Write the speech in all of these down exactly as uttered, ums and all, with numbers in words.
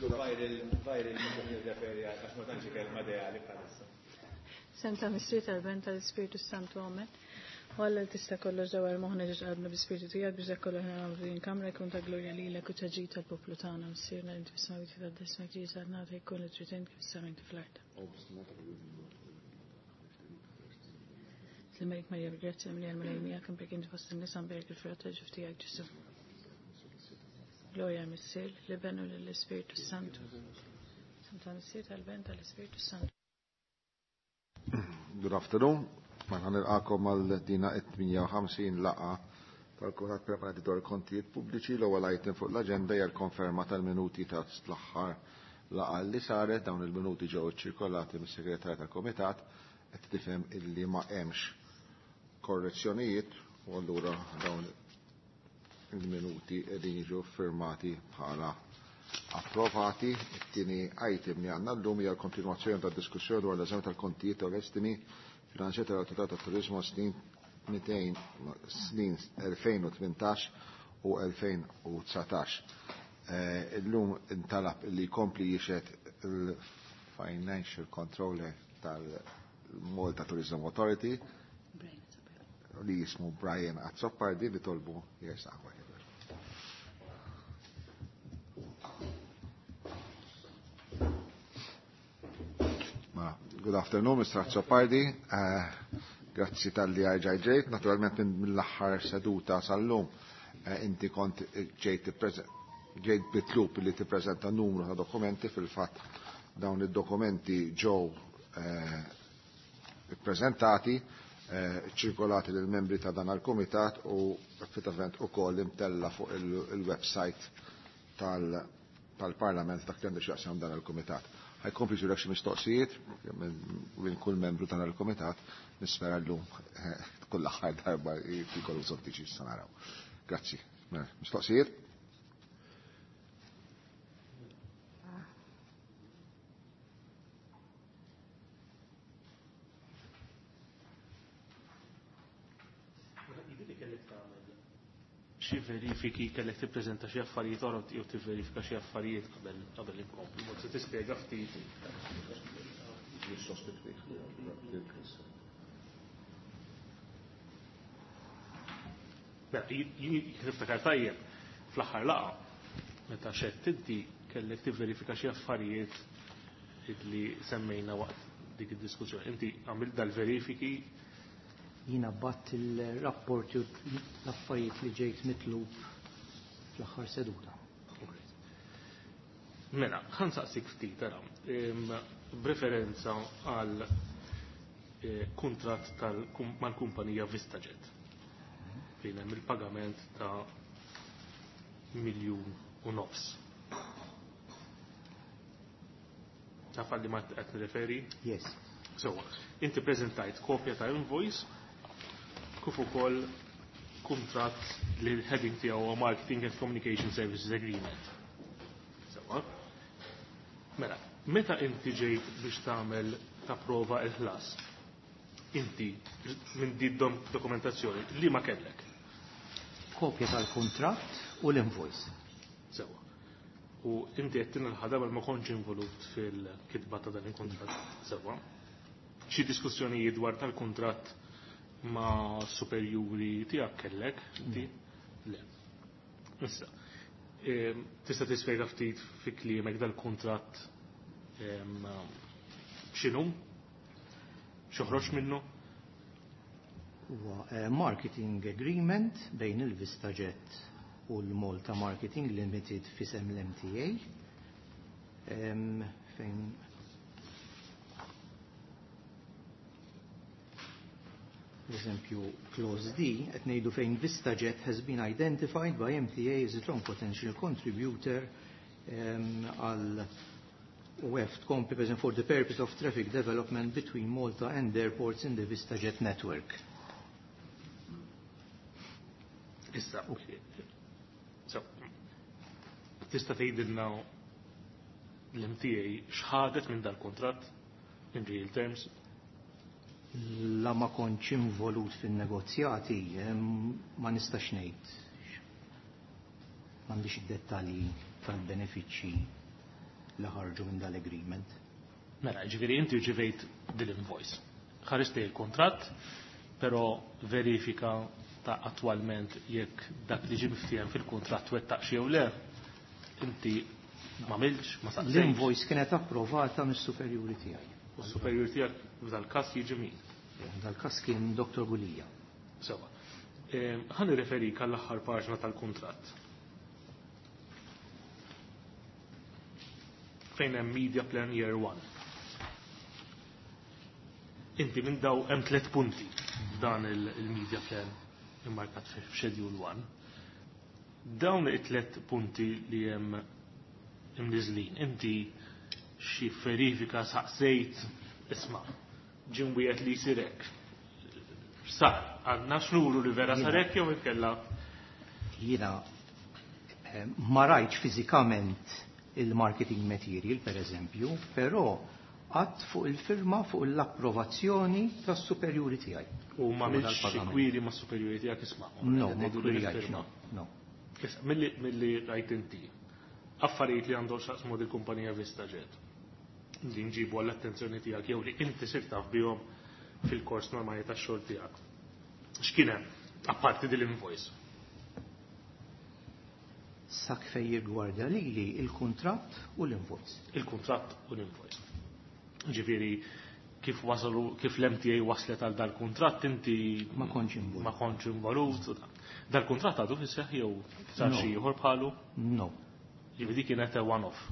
Viral, viral, mhux nirreferi għax ma tantx kelma ideali bħalissa. Senta Missier tal-Ben tal-Ispirtu Santu Amen. U Alla li tista' kollox dawar moħħna ġiex qalbna bi-Spirtu tiegħek biex dak kollu ħna nagħmlu din kamra jkun ta' glorja lilek u ta' ġid tal-poplu tagħna. Missierna li inti fis-smewwiet titqaddes ismek tiġi saltnatek jkun li trid int kif fis-sema kif fl-art. Slima Marija bil-grazzja mimlija l-Mulej miegħek imbierka inti fost in-nisa mbierek il-frott tal-ġuf tiegħek Ġesù. Glorja Missier, l-Iben u lill-Ispirtu Santu. Santa Missier tal-Ben tal-Ispirtu Santu. Good afternoon. Mela nilqagħkom għal dina it-tmienja u ħamsin laqgħa tal-Kumitat Permanenti dwar il-Kontijiet Pubbliċi. L-ewwel item fuq l-aġenda hija l-konferma tal-minuti ta' l-aħħar laqgħa li saret. Dawn il-minuti ġew iċċirkolati mis-segretarju tal-Kumitat qed tifhem illi ma hemmx korrezzjonijiet u allura dawn il-minuti qegħdin jiġu firmati bħala approvati. It-tieni item li għandna llum hija l-kontinwazzjoni tad-diskussjoni dwar l-eżami tal-kontijiet u l-estimi finanzjati tal-Awtorità tat-Turiżmu snin mitejn snin elfejn u tmintax u elfejn u dsatax. Illum intalab li jkompli jixhed il-Financial Controller tal-Malta Tourism Authority li jismu Brian Azzopardi li tolbu jersaq. Good afternoon, Mister Azzopardi. Grazzi tal-li ġejt. Naturalment mill-aħħar seduta sal-lum inti kont ġejt ġejt bitlub li tippreżenta numru ta' dokumenti. Fil-fatt dawn id-dokumenti ġew ippreżentati, ċirkolati lill membri ta' dan il-kumitat u effettivament ukoll imtella fuq il-website tal-Parlament dak li għandu x'jaqsam dan il-kumitat. Ħajkompli ġurek xi mistoqsijiet minn kull membru tal il-kumitat, nispera llum kull aħħar darba jkollu bżonn tiġi issa naraw. Grazzi. Mistoqsijiet? Xi verifiki kellek tippreżenta xi affarijiet oħra jew tivverifika xi affarijiet qabel qabel inkomplu. Mod se tispjega ftit. Mela, jien niftakar tajjeb fl-aħħar laqgħa meta xedt inti kellek tivverifika xi affarijiet li semmejna waqt dik id-diskussjoni. Inti għamilt dal-verifiki? Jina batt il-rapporti u l-affarijiet li ġejt mitlub fl-aħħar seduta. Mela, ħa nsaqsik ftit, ara, b'referenza għal kuntratt mal-kumpanija VistaJet fejn hemm il-pagament ta' miljun u nofs. Taf għal li ma qed nirreferi? Yes. So, inti preżentajt kopja ta' invoice kif ukoll kuntratt li l-heading tiegħu huwa Marketing and Communication Services Agreement. Sewwa. Mela, meta inti ġejt biex tagħmel tapprova l-ħlas, inti minn din dokumentazzjoni li ma kellek? Kopja tal-kuntratt u l-invoice. Sewwa. U inti qed tinħadha ma kontx involut fil-kitba ta' dan il-kuntratt. Sewwa. Xi diskussjonijiet dwar tal-kuntratt ma' superjuri tiegħek kellek, inti? Le. Issa, tista' tispjega ftit fi kliemek dal-kuntratt x'inhu? X'joħroġ minnu? Huwa marketing agreement bejn il-VistaJet u l-Malta Marketing Limited f'isem l-M T A, fejn eżempju clause D qed ngħidu fejn VistaJet has been identified by M T A as a strong potential contributor għal U F tkompli per for the purpose of traffic development between Malta and airports in the VistaJet network. Issa, so, tista' tgħidilna l-M T A x'ħadet minn dal-kuntratt in real terms? La ma kontx involut fin-negozjati, ma nistax ngħid. M'għandix id-dettalji tal-benefiċċji. li ħarġu minn dal-agreement. Mela, ġifieri inti rċivejt dil-invoice. Ħarist il-kontratt, però verifika ta' attwalment jekk dak li ġie miftiehem fil-kontratt wettaq jew le, inti ma milx, ma saqsejtx. L-invoice kienet approvata mis-superjuri tiegħi. U s-superjuri tiegħek f'dal-każ jiġi min? Dal-każ kien Dottor Gulija. Sewa. Ħa nirreferik għall-aħħar paġna tal-kuntratt. Fejn hemm Media Plan Year one. Inti minn daw hemm tliet punti f'dan il-Media Plan immarkat f'Schedule one. Dawn it-tliet punti li hemm imniżlin, inti xi verifika saqsejt isma' ġie wieħed li jsir hekk. Sar, għandna x'nuru li vera sar hekk jew inkella? Jiena ma rajtx fiżikament il-marketing material, per eżempju, però għad fuq il-firma fuq l-approvazzjoni tas-superjuri tiegħi. U ma għamilx xi kwiri ma' superjuri tiegħek isma'? No, ma kwirjajtx, no, no. Issa, milli rajt inti, affarijiet li għandhom x'jaqsmu dil-kumpanija VistaJet, li nġibu għall-attenzjoni tiegħek jew li inti sirt taf bihom fil-kors normali tax-xogħol tiegħek. X'kien hemm apparti dil-invoice? Sak fej jirgwarda lili il-kuntratt u l-invoice. Il-kuntratt u l-invoice. Ġifieri kif wasalu, kif l-M T A waslet għal dal-kuntratt inti Ma kontx involut. Ma kontx involut. Dal-kuntratt għadu fis-seħħ jew sar No. xi ieħor bħalu? No. Ġifieri dik kienet a one-off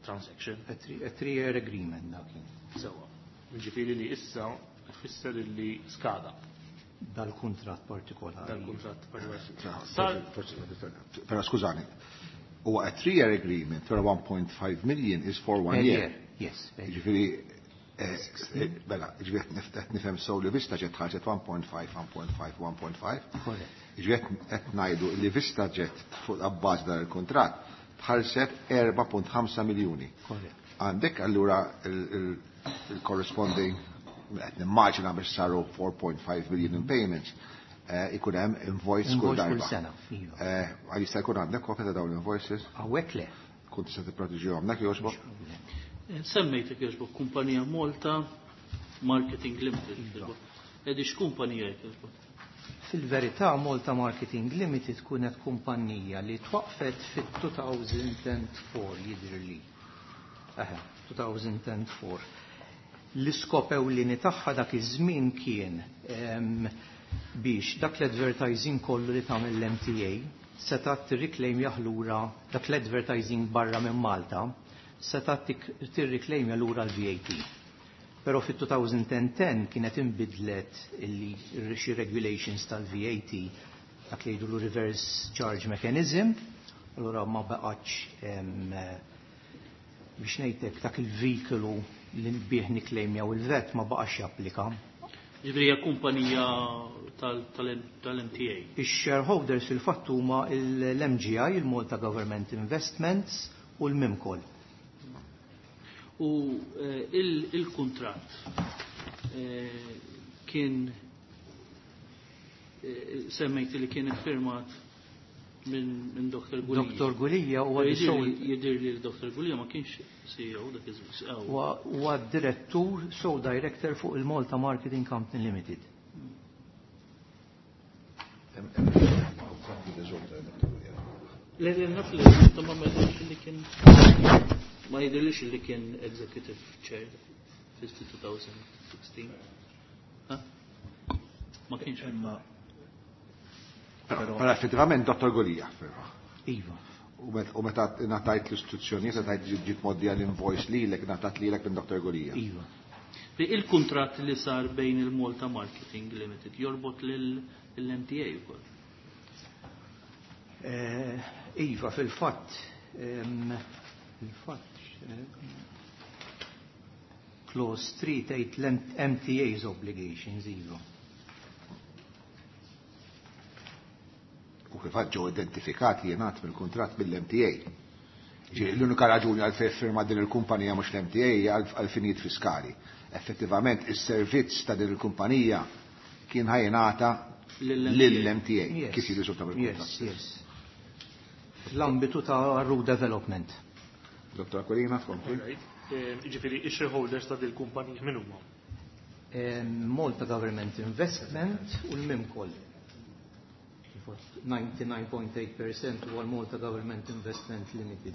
transaction. A three, a three-year agreement dak kien. Sewwa. Ġifieri li issa tfisser li skada. Dal-kuntratt partikolari. Dal-kuntratt partikolari. Tra, Sar forsi, forsi, però skużani, huwa a three-year agreement, però one point five million is for one Per year. year. Yes, per year. Ġifieri, eh, eh, mela, ġifieri qed nif-, qed nifhem sew li VistaJet ħarġet one point five, one point five, one point five. Correct. Ġifieri qed, qed ngħidu li VistaJet fuq abbaż dan il-kuntratt tħallset erba' punt ħamsa miljuni. Correct. Għandek allura il-, il-, il-corresponding, qed nimmaġina biex saru four point five million in payments, eh, ikun hemm invoice kull Invoice kull darba. sena, iva. Eh, għal jista' jkun għandek kopja ta' dawn l-invoices? Hawnhekk le. Kont tista' tipproteġihom hemmhekk jogħġbok? Eh, semmejtek jogħġbok kumpanija Malta Marketing Limited. Iva. Edi x'kumpanija jogħġbok? Fil-verità Malta Marketing Limited kunet kumpanija li twaqfet fit-two thousand and four jidhirli. Eħe, two thousand and four. L-iskop ewlieni tagħha dak iż-żmien kien, em, biex dak l-advertising kollu li tagħmel l-M T A seta' tirriklejmja lura dak l-advertising barra minn Malta seta' tik-, tirriklejmja lura l-V A T. Però fit-two thousand and ten kienet inbidlet illi xi regulations tal-V A T dak li jgħidu reverse charge mechanism, allura ma baqgħetx, em, biex ngħidlek dak il-vehicle li bih niklejmjaw il-V A T ma baqax japplika. Ġifieri hija kumpanija tal-, tal-, tal-M T A. Ix-shareholders fil-fatt huma l-M G I, il-Malta Government Investments u l-Mimcol. U, eh, il-, il-kuntratt, eh, kien, eh, semmejt li kien iffirmat minn, minn Doktor Gulija. Doktor Gulija huwa Jidir di li sole jidir li Doktor Gulija ma kienx C E O dak iż-żmien. Huwa, huwa direttur, sole director fuq il-Malta Marketing Company Limited. Le, le, naf li ta' ma ma jidirx li kien, ma jidirlix li kien executive chair fi two thousand sixteen. Ha? Ma kienx. Imma Però però effettivament Dottor Gulija, però. Iva. U met-, u meta ngħatajt l-istruzzjonijiet, meta ġiet, ġiet moddija l-invoice lilek, ngħatat lilek minn Dottor Gulija. Iva. Li il-kuntratt li sar bejn il-Malta Marketing Limited jorbot lil-M T A wkoll. Eh, iva, fil-fatt, ehm, fil-fatt, eh, clause three tgħid l-M T A's obligations, iva. U fil-fatt ġew identifikati jingħad mill-kuntratt mill-M T A. Ġifieri l-unika raġuni għal fejn firma din il-kumpanija mhux l-M T A hija għal, għal finijiet fiskali. Effettivament is-servizz ta' din il-kumpanija kien ħajnata Lill-M T A. lill-M T A, Yes. kif jirriżulta mill-kuntratt. Yes, yes. Fl-ambitu ta' road development. Dottor Aquilina, tkompli. Jiġifieri ix-shareholders ta' dil-kumpanija min huma? Malta Government Investment u l-Mimcol. ninety-nine point eight percent huwa l-Malta Government Investment Limited.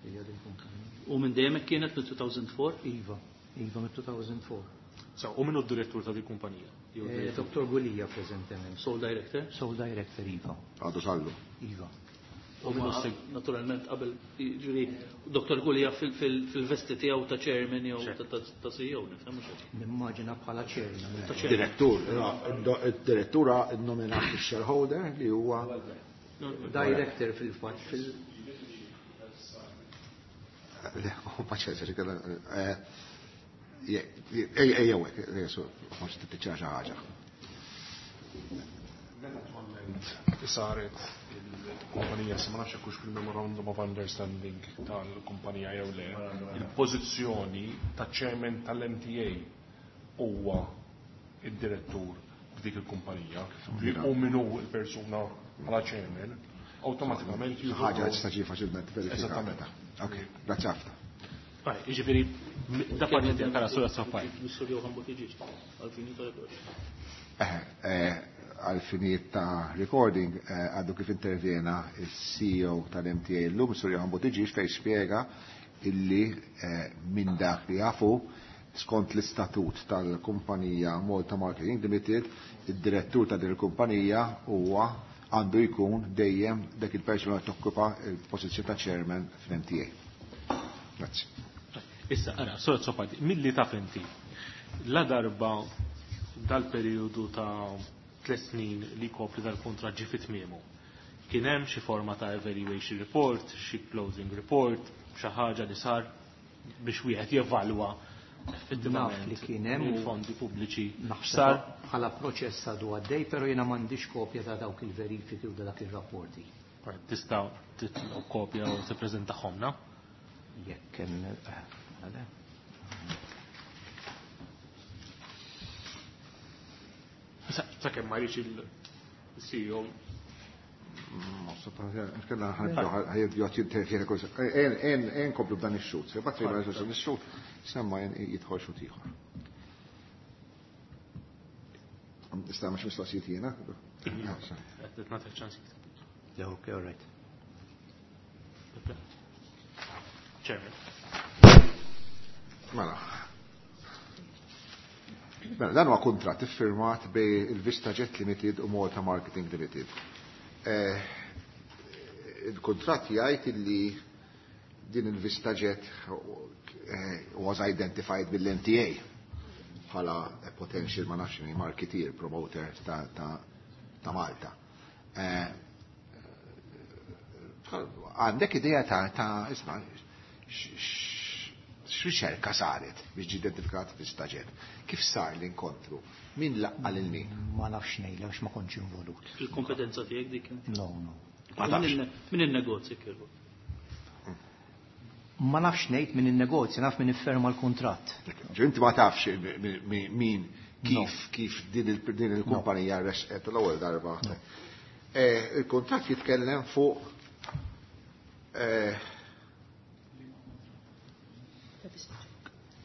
Hija din kumpanija. U minn dejjem hekk kienet, minn two thousand four? Iva, Iva, minn two thousand four. So, u min hu d-direttur ta' dil-kumpanija? Jew Eh, direttur? Dottor Gulia preżentement. Sole director? Sole director, Iva. Għadu sallu. Iva. U ma naturalment qabel, ġifieri Dottor Gulia fil-vesti tiegħu ta' chairman jew ta' ta' C E O, nifhem, mhux hekk? Nimmaġina bħala chairman. Ta' chairman. Direttur, id-direttura nominat il-shareholder li huwa Director fil-fatt fil Paċenza, ġikella. Ejjew, forsi tittiċċara xi ħaġa. Naturalment, saret il-kumpanija, se ma nafx hekk hux fil-Memorandum of Understanding tal-kumpanija jew le, il-pożizzjoni ta' chairman tal-M T A huwa id-direttur f'dik il-kumpanija. U min hu il-persuna bħala chairman, awtomatikament jieħu Ħaġa tista' ġi faċilment verifikata. Eżattament. Ok, grazzi ħafna. Right, jiġifieri, da parti kara sura safaj. Mr. Johan Buttigieg, għal-fini tal-rekord. Eh, eh, Għal-finijiet ta' recording, eh, għaddu kif intervjena il-C E O tal-M T A l-lum, Sur Johan Buttigieg, fej spiega illi eh, minn dak li jafu skont l-istatut tal-kumpanija Malta Marketing Limited, id-direttur ta' din il-kumpanija huwa għandu jkun dejjem dak il-persuna li tokkupa il-pożizzjoni ta' chairman fl-M T A. Grazzi. Issa, ara, sura sopati, milli taf inti, la darba dal-periodu ta' tliet snin li kopri dal-kontrat ġi fit-tmiemu, kien hemm xi forma ta' evaluation report, xi closing report, xi ħaġa li sar biex wieħed jevalwa effettivament Naf li kien hemm u il-fondi pubbliċi naħseb sar? Bħala proċess għadu għaddej, pero jiena m'għandix kopja ta' dawk il-verifiki u ta' dak il-rapporti. Right, tista' titlob kopja u tippreżentahomna? Jekk hemm eh, għale. Sakemm ma jridx il-C E O. Kella ħajbdu jintervjena kol. En en komplu b'dan ix-xut. Se bat dan ix-xut, semma jidħol xut ieħor. Nista' mhux mistoqsijiet jiena? Qed nagħti ċans. Yeah, okay, all right. Chairman. Mela. Mela, dan huwa kuntratt iffirmat bej il-Vista Jet Limited u Malta Marketing Limited. Eh, Il-kuntratt jgħid illi din il-Vista Jet eh, was identified bil-M T A bħala potential, ma nafx, marketeer, promoter ta', ta, ta' Malta. Eh, Għandek idea ta' ta' isma' x'riċerka saret biex ġi identifikat Vista Jet? Kif sar l-inkontru? Min laqqa lil min? Ma nafx ngħidlek għax ma kontx involut. Il-kompetenza tiegħek dik? No, no. Ma tafx. Min in-negozji kienu? Ma nafx ngħid min in-negozja, naf min ifferma l-kuntratt. Ġi inti ma tafx min kif kif din il- din il-kumpanija resqet l-ewwel darba. Eh, Il-kuntratt jitkellem fuq eh,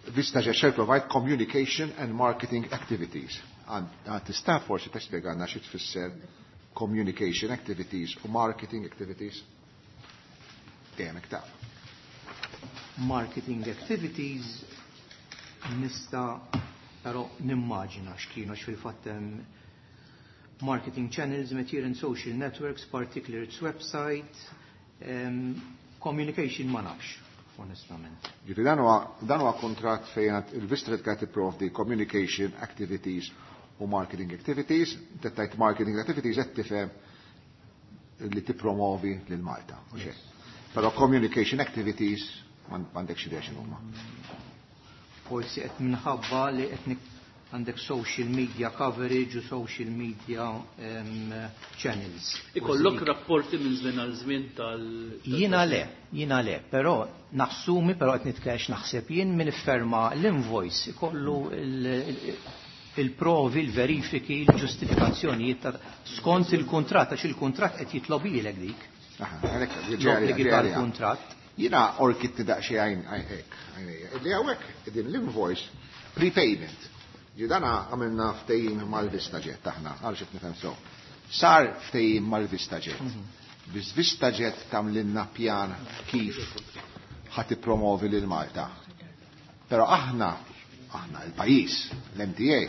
Vista Jet shall provide communication and marketing activities. Għad tista' forsi tispjegana xi tfisser communication activities u marketing activities? Dejjem hekk taf. Marketing activities nista' però nimmaġina x'kienu, għax fil-fatt hemm marketing channels, material and social networks, particularly its website, um, communication ma nafx, onestament. Ġifieri dan huwa dan huwa kuntratt fejn il-Vista Jet qed tipprovdi communication activities u marketing activities. Tettajt marketing activities qed tifhem li tippromovi lil Malta. U xejn. Però communication activities m'għandekx idea x'inhuma. Forsi qed minħabba li qed nik- għandek social media coverage u social media um, channels. Ikollok rapporti minn żmien għal żmien tal. Jiena le, jiena le, però nassumi, però qed nitkellem naħseb jien, min ifferma l-invoice ikollu il-provi, il-verifiki, il-ġustifikazzjonijiet ta' skont il-kuntratt, għax il-kuntratt qed jitlobilek dik. Aha, għalhekk L-obbligi tal-kuntratt. Jiena orkitti daqsxejn għajn hekk, għajnejja. Illi hawnhekk din l-invoice prepayment. Ġi dana għamilna ftehim mal-VistaJet aħna, għal xi nifhem so. Sar ftehim mal-VistaJet. Biex VistaJet tagħmlilna pjan kif ħa tippromovi lil Malta. Però aħna, aħna il-pajjiż, l-M T A,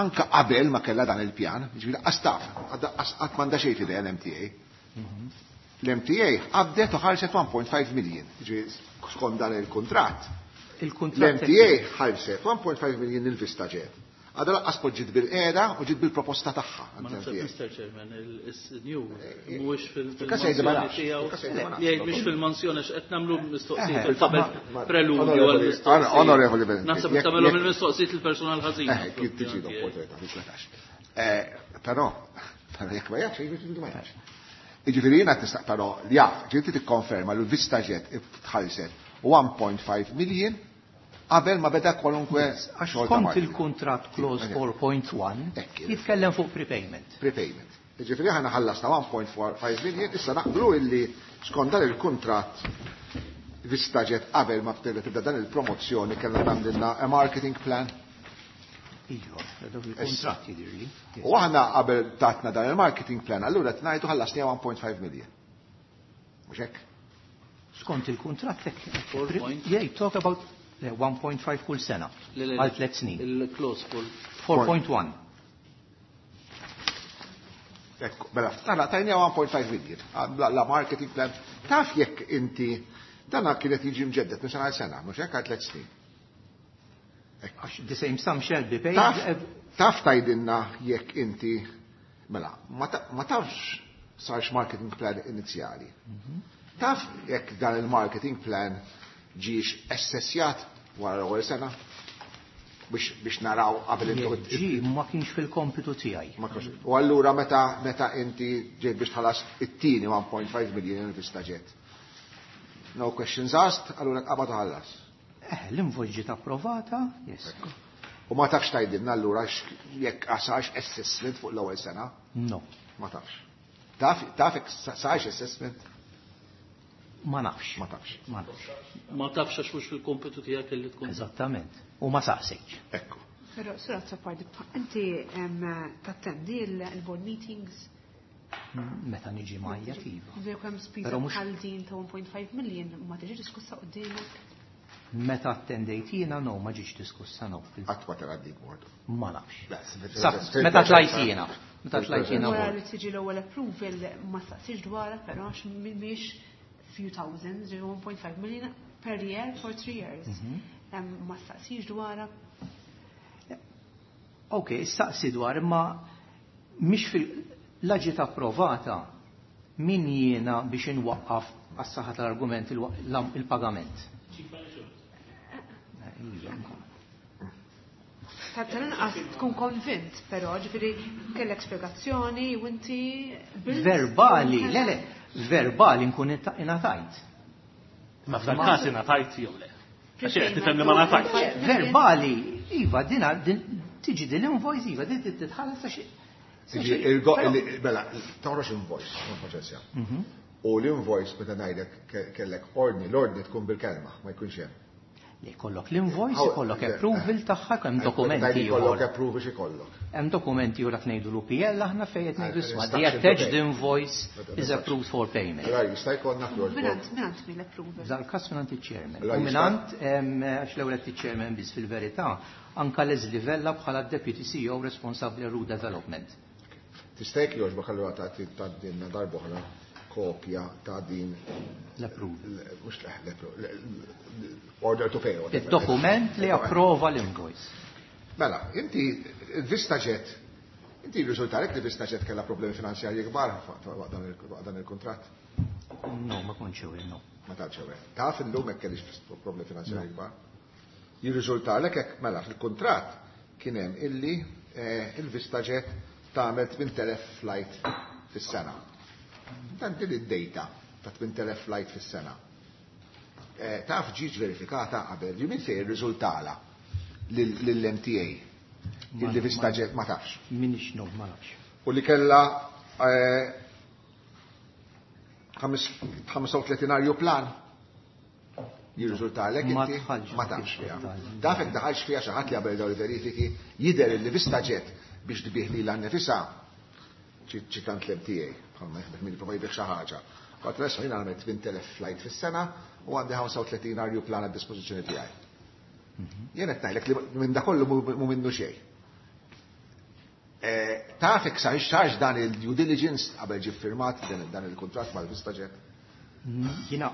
anka qabel ma kellha dan il-pjan, ġifieri qas taf, qatt m'għandha xejn f'idejha l-M T A. L-M T A qabdet u ħarset one point five million, ġifieri skont dan il-kuntratt. Il-kuntratt L-M T A ħarset one point five million il-VistaJet. Għadha lanqas ġiet bil-qiegħda u ġiet bil-proposta tagħha. Ma naħseb, Mister Chairman, il-new mhuwiex Fil-każ jgħid ma fil-mansjoni nafx, tiegħu. Fil-każ jgħid ma nafx. Jgħid mhix fil-mansjoni x'qed nagħmlu mistoqsijiet Eh, qabel ma- preludju Onorevoli- għall-mistoqsijiet. Onorevoli President, Naħseb jekk- tagħmelhom jekk- il-mistoqsijiet il-personal ħażin. Eh, kif tiġi l-opportunità, titletax. Eh, Però, però jekk ma jafx, jiġifieri ma jafx. Jiġifieri jiena tista' però jaf, ġifieri tikkonferma li l-VistaJet tħallset one point five million qabel ma beda kwalunkwe Għax xogħol ta' kont marketing. Il-kuntratt clause four point one Ekk, jitkellem fuq prepayment. Prepayment. Jiġifieri aħna ħallasna one point four five million, issa naqblu illi skont dan il-kuntratt VistaJet qabel ma tibda tibda dan il-promozzjoni kellha tagħmlilna a marketing plan. Iva, dak il-kuntratt jidirli. U aħna qabel tatna dan il-marketing plan, allura tnajtu ħallasni one point five million. Mhux hekk? Skont il-kuntratt hekk. Four point. Yeah, talk about eh, one point five kull sena Le, le, għal tliet snin. Il-clause full. four point one. Ekku, mela, tala, tajnija one point five million. La, la marketing plan. Taf jekk inti, dana kienet jiġi mġeddet minn sena għal sena, mhux hekk, għal tliet snin. Għax the same sum shall be paid. Taf, ev- taf tajdinna jekk inti, mela, ma ta- ma tafx sarx marketing plan inizjali. Taf jekk dan il-marketing plan ġiex assessjat wara l-ewwel sena biex biex naraw qabel Jekk intu ġi ma kienx fil-kompitu tiegħi. Ma kienx. U allura meta meta inti ġejt biex tħallas it-tieni one point five million il-VistaJet. No questions asked, allura qabad u ħallas. Eh, l-invoice ġiet approvata, yes. U ma tafx tgħidilna allura x- jekk sarx assessment fuq l-ewwel sena? No, Ma tafx. Taf taf jekk sarx assessment? Ma nafx. Ma tafx. Ma nafx. Ma tafx għax mhux fil-kompitu tiegħek li tkun. Eżattament. U ma saqsejtx. Ekku. Però, Sur Azzopardi, inti em, tattendi il-board meetings? Meta niġi majja iva. Jekk hemm spiża Però mhux- bħal din ta' one point five million ma tiġi diskussa quddiemek? Meta attendejt jiena, no, ma ġietx diskussa, no. Fil- Qatt ma tara dik board. Ma nafx. Sa- Sa, meta tlajt jiena. Meta tlajt jiena Wara board. li tiġi l-ewwel approval ma staqsix dwarha, però għax mhix few thousands, ġi one point five million per year for three years. Em, Ma staqsix dwarha? Ok, staqsi dwar, imma mhix fil la ġiet approvata, min jiena biex inwaqqaf għas-saħħa tal-argument il- l- il-pagament. Eh, Ta' tal-inqas tkun konvint, però ġifieri kellek spjegazzjoni u inti bilt- Verbali, le le, verbali nkun ingħatajt. Ma f'dan każ ingħatajt jew le? Għax qed tifhem li ma ngħatajtx. Verbali, iva, dina, din, tiġi din l-invoice, iva, din titħallas għax. Tiġi, il-go- il- Mela, toħroġ invoice, non proċessja. U l-invoice meta ngħidlek ke- kellek ordni, l-ordni tkun bil-kelma, ma jkunx hemm. Li jkollok l-invoice, How- ikollok le- approval tagħha, hemm dokumenti Tgħidli Kollok ieħor. approval x'ikollok. Hemm dokumenti ieħor qed ngħidu l-U P L aħna fejn qed ngħidu isma' the Instruction to attached pay. invoice is approved for payment. Allora jista' jkollna Minant, fl minant min l-approval? Dal-każ minant iċ-chairman. Allora U jista' minant, em, għax l-ewwel qed iċ-chairman biss, fil-verità, anka Leslie Vella bħala Deputy C E O responsabbli għal Development. Tista' jekk jogħġbok allura tagħti tgħaddilna darb'oħra kopja ta' din L-approval. l- mhux l- l- order to pay, whatever. Il-dokument li approva l-invoice. Mela, inti VistaJet, inti riżultalek li VistaJet kellha problemi finanzjarji kbar waqt dan il- waqt dan il-kuntratt? No, ma kontx aware, no. Ma tantx aware. Taf illum hekk kellix problemi finanzjarji kbar? Jirriżultalek hekk, mela, fil-kuntratt kien hemm illi eh, il-VistaJet tagħmel tmint elef flight fis-sena. Dan din id-data ta' tmint elef flight fis-sena. Eh, Taf ġiġ verifikata qabel, ġi min se jirriżultala lill-M T A illi VistaJet, ma tafx? Minix, no, ma nafx. U li kella eh, ħames- ħamsa u tletin ajruplan. Jirriżultalek Ma inti? dħalx Ma tafx fiha. fid-dettall. Taf jekk daħalx fiha xi ħadd li qabel dawn il-verifiki jidher li VistaJet biex tbigħ lilha nnifisha ċitant l-M T A, bħalma jaħdem min jipprova jbigħ xi ħaġa. Qatt l jiena għamilt tmien t'elef flight fis-sena u għandi ħamsa u tletin arjuplan għad dispożizzjoni tiegħi. Jien qed ngħidlek li minn da kollu mhu minnu xejn. Eh, taf jekk sarx sarx dan il-due diligence qabel ġie firmat dan il-kuntratt mal-VistaJet? Jiena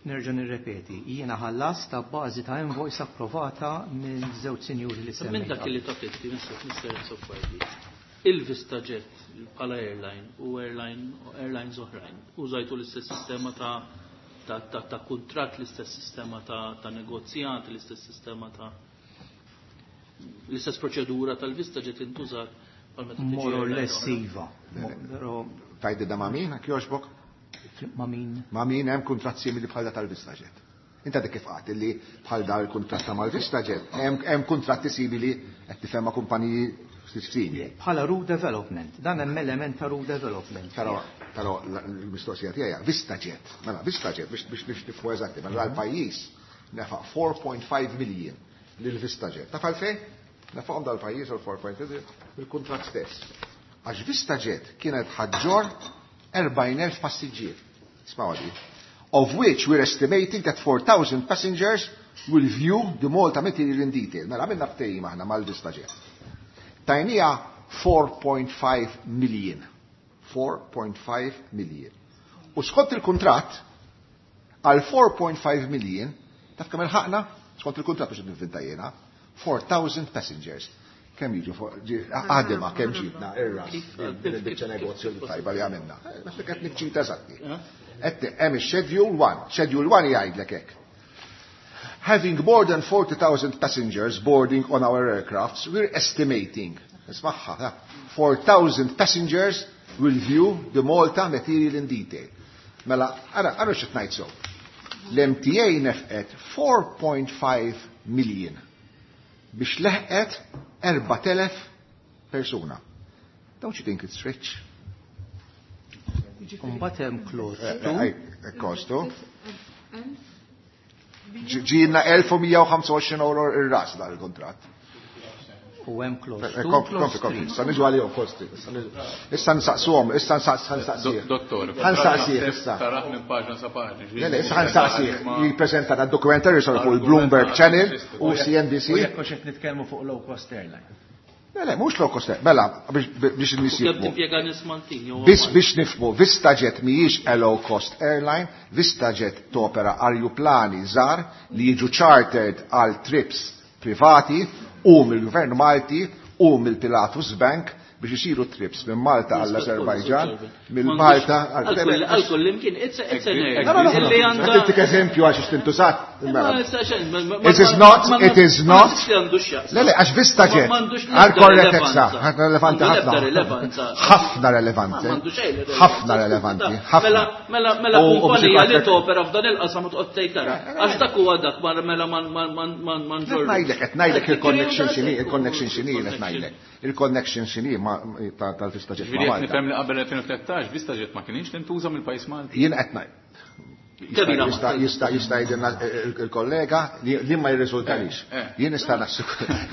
nerġa' nirrepeti, jiena ħallas ta' bażi ta' invoice approvata minn żewġ sinjuri li Minn semmejt. Dak li taf inti, Mister Azzopardi, il-VistaJet bħala airline u airline airlines oħrajn, użajtu l-istess sistema ta' ta' ta' ta' kuntratt, l-istess sistema ta' ta' negozjat, l-istess sistema ta' l-istess proċedura tal-VistaJet intużat bħal meta tiġi More or airline less oħra. iva. Però Tajdi da ma' min, jogħġbok? Ma' min? Ma' min hemm kuntratt simili bħal da tal-VistaJet? Inta dik kif qatt li bħal da l-kuntratt ta' mal-VistaJet, hemm hemm kuntratti simili qed tifhem ma' kumpaniji simili. Bħala route development, dan hemm element ta' route development. Però però l-mistoqsija tiegħi VistaJet, mela VistaJet biex biex biex nifhmu eżatti, mela l-pajjiż nefaq four point five million lil VistaJet. Taf għalfejn? Nefaqhom dal-pajjiż għal four point five bil-kuntratt stess. Għax VistaJet kienet ħa ġġorr erbgħin elf passiġġier. Ismagħu di. Of which we're estimating that four thousand passengers will view the Malta material in detail. Mela għamilna ftehim aħna mal-VistaJet. Tajnieha four point five million. four point five million. U skont il-kuntratt, għal four point five million, taf kemm ilħaqna? Skont il-kuntratt biex nivvinta jiena, four thousand passengers. Kemm jiġu għadima, kemm ġibna, ir-ras, din il-biċċa negozju li tajba li għamilna. Naħseb qed niċċita eżatti. Qed hemm schedule one. Schedule one jgħidlek hekk. Having more than forty thousand passengers boarding on our aircrafts, we're estimating, ismagħha, four thousand passengers will view the Malta material in detail. Mela, ara, ara x'qed ngħid so. L-M T A nefqet four point five million biex leħqet erbat elef persuna. Don't you think it's rich? Mbagħad hemm clause two. Kostu. Ġiena elf u mija u ħamsa u għoxrin euro ir-ras dar il-kontratt. U hemm clause two, Kompli, clause kompli, three. issa niġu għalihom kosti. Issa nsaqsuhom, issa nsaqsih. Dottor, Ħa nsaqsih issa. Taraħ minn paġna sa paġna. Le, le, issa ħa nsaqsih. Jippreżenta da dokumentary sar fuq il-Bloomberg Channel u C N B C. U jekk hux qed nitkellmu fuq low cost airline. Le, le, mhux low cost. Mela, biex biex in-nies Kemm jifhmu. timpjega nies Maltin jew Biex biex nifhmu, VistaJet mhijiex a low cost airline, VistaJet topera arjuplani żgħar li jiġu chartered għal trips privati u mill-Gvern Malti u mill-Pilatus Bank biex isiru trips minn Malta għall-Azerbajġan, mill Malta Għal kull imkien, it's it's an No, no, no, no. Illi għandha Qed eżempju għax tintużat. Ma It is not, it is not. Le, le, għax VistaJet. Għal korrettezza, ħafna relevanti ħafna. Rilevanza. Ħafna relevanti. Ħafna relevanti. Ħafna. Mela, mela, mela U- u biex kumpanija li ikollek- topera f'dan il-qasam u toqgħod tgħid tara. Għax dak huwa dak ma mela ma ma ma ma ma Qed ngħidlek, qed ngħidlek il-connection x'inhi, il-connection x'inhi qed ngħidlek. Il-connection x'inhi ma tal-VistaJet ma' Ġifieri qed Malta. nifhem li qabel elfejn u tlettax VistaJet ma kienx tintuża mill-pajjiż Malti. Jien qed ngħid. Kemm Jista' jista' jista' jgħidilna il-kollega li li ma jirriżultalix. Eh, eh. Jien nista' naħseb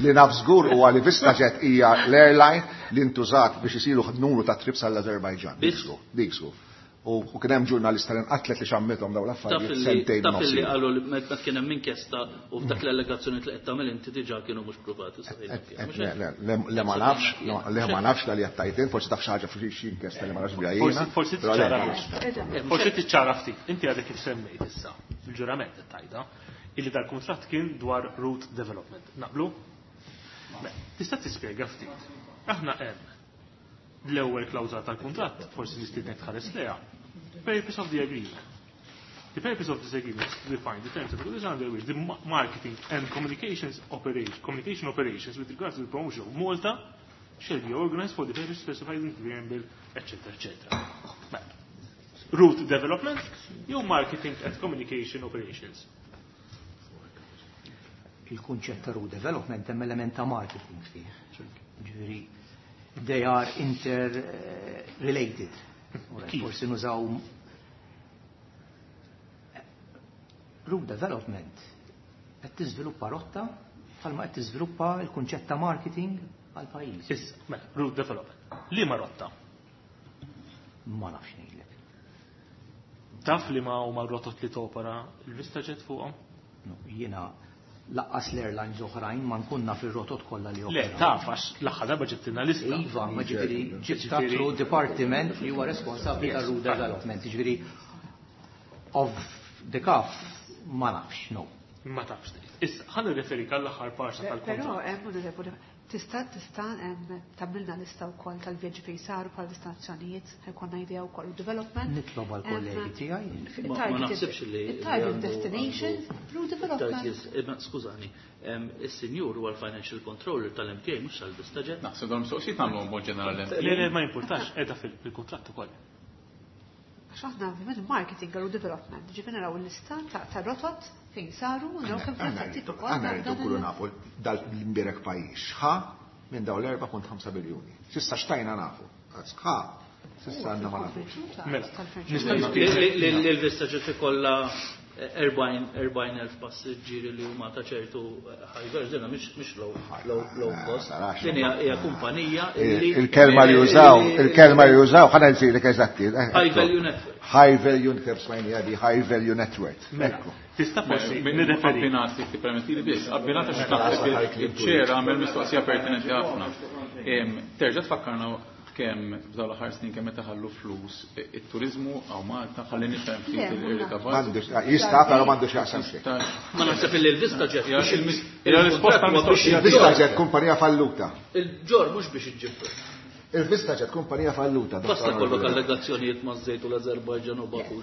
li naf żgur huwa li VistaJet hija l-airline li ntużat biex isiru numru ta' trips għall-Azerbajġan. Dik żgur, dik żgur. U u kien hemm ġurnalista li nqatlet li xammitom dawn Taf l-affarijiet li sentejn taf li nofs. qalu li meta kien hemm inkjesta u f'dak l-allegazzjoni li qed tagħmel inti diġà kienu mhux pruvati. Le, le, le, le ma nafx, le ma nafx dal jattajtin, forsi taf xi ħaġa fi xi inkjesta li ma nafx biha jiena. Forsi però le, tiċċara ma nafx. Forsi tiċċara ftit. Inti għadek kif semmejt issa, fil-ġurament qed tgħidha, illi dal-kuntratt kien dwar route development. Naqblu? Beh, tista' tispjega ftit. Aħna hemm l-ewwel klawżola tal-kuntratt, forsi nistiednek tħares lejha. Purpose of the agreement. The purpose of this agreement is to define the terms and conditions under which the ma- marketing and communications operation, communication operations with regards to the promotion of Malta shall be organized for the purpose specified in the preamble, et cetera, et cetera. Mela, route development jew marketing and communication operations? Il-kunċett ta' route development hemm element ta' marketing fih. Ġifieri they are interrelated. Kif? Forsi nużaw Route development qed tiżviluppa rotta bħalma qed tiżviluppa l-kunċett ta' marketing għal pajjiż. Issa, mela, route development. Liema rotta? Ma nafx ngħidlek. Taf li ma huma rotot li topera il-VistaJet fuqhom? No, jiena lanqas l-airlines oħrajn ma nkun naf ir-rotot kollha li Le, operaw. taf għax l-aħħar darba ġibtilna lista. Iva, ma ġifieri ġibta through department li huwa responsabbli Yes. tar route development. Ġifieri of the cuff ma nafx, no. Ma tafx. Issa, ħa nirreferik għall-aħħar parsa Però tal-kontratt. hemm onorevoli, tista' tista' em, tagħmilna lista wkoll tal-vjaġġi fejn saru bħal destinazzjonijiet, ħa jkollna idea wkoll u development. Nitlob għall-kollegi tiegħi. Ma ma naħsibx li. Il-target destinations, route development. Target, eh, skużani, em, is-sinjur huwa l-financial controller tal-MTA mhux tal-VistaJet. Naħseb dawn mistoqsijiet nagħmluhom mod ġenerali. Le, le, ma jimpurtax, qiegħda fil-kontratt ukoll. Għax aħna ovvjament marketing u development, ġifieri naraw il-lista ta' ta' rotot fejn saru u naraw kemm Aħna fil-fatt rridu ukoll aħna dan- rridu dan nkunu il- nafu dal-imbierek pajjiż ħa minn dawn l-erba' punt ħamsa biljuni. S'issa xtajna nafu. Ħa, s'issa għandna ma nafux. Mela, Nista' L-VistaJet ikollha erbgħin elf passiġġieri li huma ta' ċertu high value, dinha mhix mhix low low low cost. tarax. Din hija hija kumpanija illi Il-kelma li jużaw, il-kelma li jużaw, ħa ngħidlek eżatti. High value network. High value, kif smajni għadi, high value network. Mela, Ekku. tista' forsi nirreferi. Abbinat, jekk tippermettili biss, abbinat għax naħseb il-chair għamel mistoqsija pertinenti ħafna. Em, Terġa' tfakkarna kemm f'dawn l-aħħar snin kemm meta ħallu flus it-turizmu hawn Malta ħalli nifhem ftit Le, il-rikavat. M'għandux, jista' però m'għandux jaqsam xejn. Ma naħseb illi l-VistaJet Hija biex il-mis- hija risposta il-kuntratt huwa biex mistoqsija. Il-Vista ġet kumpanija falluta. Il-ġor mhux biex iġġib. Il-Vista ġet kumpanija falluta. Basta kollok allegazzjonijiet ma' żejt u l-Azerbajġan u Baku.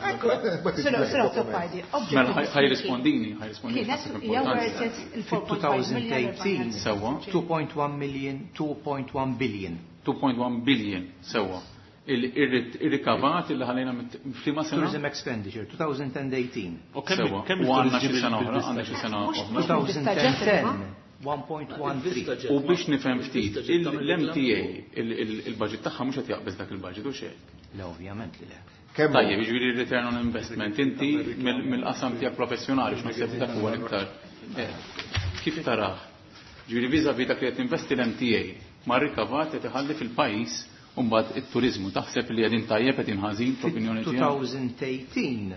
Sir Azzopardi, Mela ħa jirrispondini, ħa jirrispondini. Kienet naħseb hija importanti. worth it il-four point five million. two thousand eighteen Sewwa. two point one million, two point one billion. two point one billion, sewwa. Il-rikavat il ħalejna f'liema sena? Tourism expenditure twenty eighteen. U kemm Sewwa. kemm U għandna xi il-turisti sena oħra, bil-Vista għandna xi Jet? sena Mhux- oħra. mhux twenty ten one point one three. U biex nifhem ftit, l-M T A, il-budget tagħha mhux qed jaqbeż dak il-budget u xejn. Le, ovvjament li le. Kemm Tajjeb, jiġifieri return on investment, inti mill- mill-qasam tiegħek professjonali x'naħseb dak huwa l-iktar. eh, Kif tarah? Ġifieri vis-à-vis dak li qed investi l-M T A ma' rikavat qed iħalli fil-pajjiż u mbagħad it-turizmu taħseb li qegħdin tajjeb qegħdin ħażin fl-opinjoni tiegħek? twenty eighteen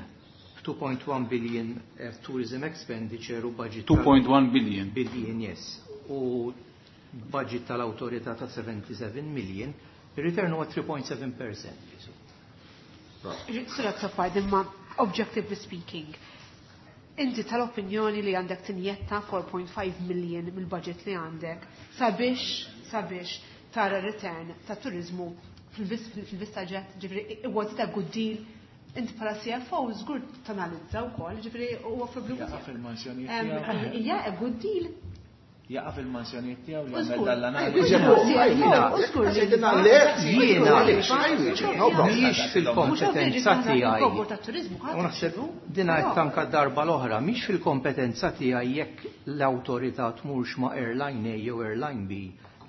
two point one billion eh, tourism expenditure u budget tal- two point one billion. Billion, yes. U budget tal-autorità ta' seventy-seven million, il-return huwa three point seven percent. Sir Azzopardi, imma objectively speaking, inti tal-opinjoni li għandek tinjetta four point five million mill-budget li għandek sabiex sabiex tara return ta' turizmu fil-VistaJet, ġifieri, was it a good deal? Inti bħala C F O żgur tanalizza wkoll, ġifieri huwa problema. Jaqa' fil-mansjonijiet Em, tiegħu. Hija a good deal. Jaqa' fil-mansjonijiet tiegħu li U għamel żgur. dal-analiżi. U żgur li- Jiena Jiena mhijiex fil-kompetenza tiegħi. Kobor ta' turizmu U naħseb dina qed tanka darba l-oħra, mhix fil-kompetenza tiegħi jekk l-awtorità tmurx ma' airline A jew airline B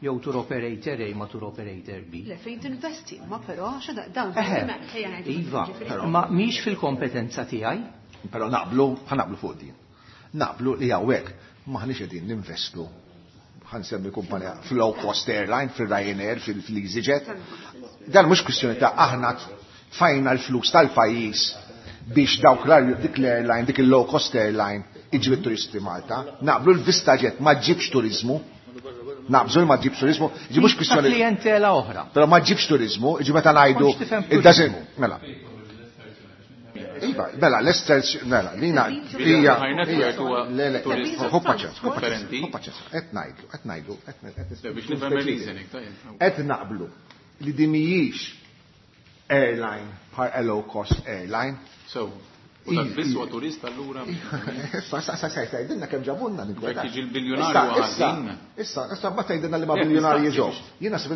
jew tour operator A ma' tour operator B. Le, fejn tinvesti, ma però għax dawn Eħe, iva, ma mhix fil-kompetenza tiegħi. Però naqblu, ħa naqblu fuq din. Naqblu li hawnhekk maħniex qegħdin ninvestu, ħa nsemmi kumpanija fil-low cost airline, fil-Ryanair, fil-EasyJet. Dan mhux kwistjoni ta' aħna tfajna l-flus tal-pajjiż biex dawk l dik l-airline, dik il-low cost airline iġib it-turisti Malta. Naqblu l-VistaJet ma ġibx turizmu. Naqbżu li ma ġibx turizmu, ġi mhux Ta' kwistjoni. klientela oħra. Però ma ġibx turizmu, ġi meta ngħidu Kontx tifhem it doesn't, mela. Iva, mela, l-esters, mela, lina, hija, High net worth huwa le, le, turizmu hu paċenza, hu paċenza, differenti. hu paċenza, qed ngħidlu, qed ngħidlu, qed Le, biex nifhem il-reasoning, tajjeb. Qed naqblu li din mhijiex airline bħal low cost airline. So, u dak biss huwa turist allura. Issa, issa, issa, issa, tgħidilna kemm ġabunna Jekk jiġi l-biljonarju Issa, ħażin. issa, issa, ma tgħidilna li ma Jekk biljonarji nistaqsi ġew. Jiena naħseb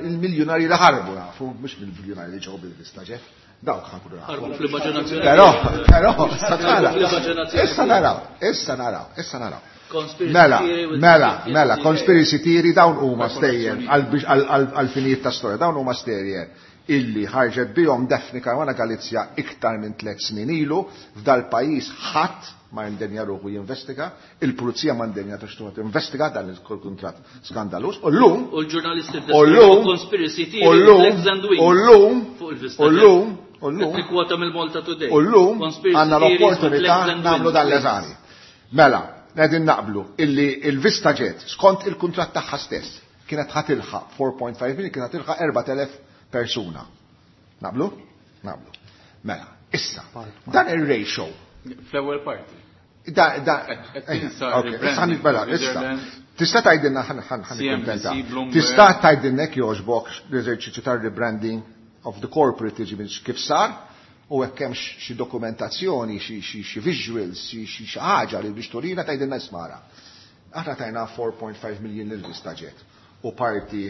il-miljonarji li ħarbu nafu, mhux bil-biljonarji li ġew bil-VistaJet. Dawk ħa nkunu nafu. Ħarbu fl-immaġinazzjoni. Però, però, issa tara. Fl-immaġinazzjoni. Issa naraw, issa naraw, issa naraw. Conspiracy Mela, theory with mela, the mela, M T A. Conspiracy theory dawn huma stejjer għal-finijiet ta' storja, dawn huma stejjer. illi ħarġet bihom Daphne Caruana Galizia iktar minn tliet snin ilu f'dal pajjiż ħadd ma jindenja ruħu jinvestiga, il-pulizija ma ndenja tux investiga dan il-kuntratt skandaluż. U llum U l-ġurnalisti u llum conspiracy u theory llum legs and wings u llum fuq il-Vista u llum u llum Nikkwota mill-Malta Today. U llum Conspiracy għandna theories with l-opportunità legs and nagħmlu wings. dan l-eżami. Mela, qegħdin naqblu illi il-Vista Jet skont il-kuntratt tagħha stess kienet ħa tilħaq four point five million, kienet ħa tilħaq erbat elef persuna. Naqblu? Naqblu. Mela, issa, dan ir-ratio Fl-ewwel parti. Da, da, Qed tinsa ok, issa ħan mela, issa. Switzerland. Tista' tgħidilna ħan ħan ħan C N B C, nikkuntenta. Bloomberg. Tista' tgħidilna jekk jogħġbok l-eżerċizzju tar-rebranding of the corporate tiġi minn kif sar u hekk hemm xi dokumentazzjoni, xi xi xi visuals, xi xi xi ħaġa li biex turina tgħidilna ismara. Aħna tajna four point five million lil Vista Jet u parti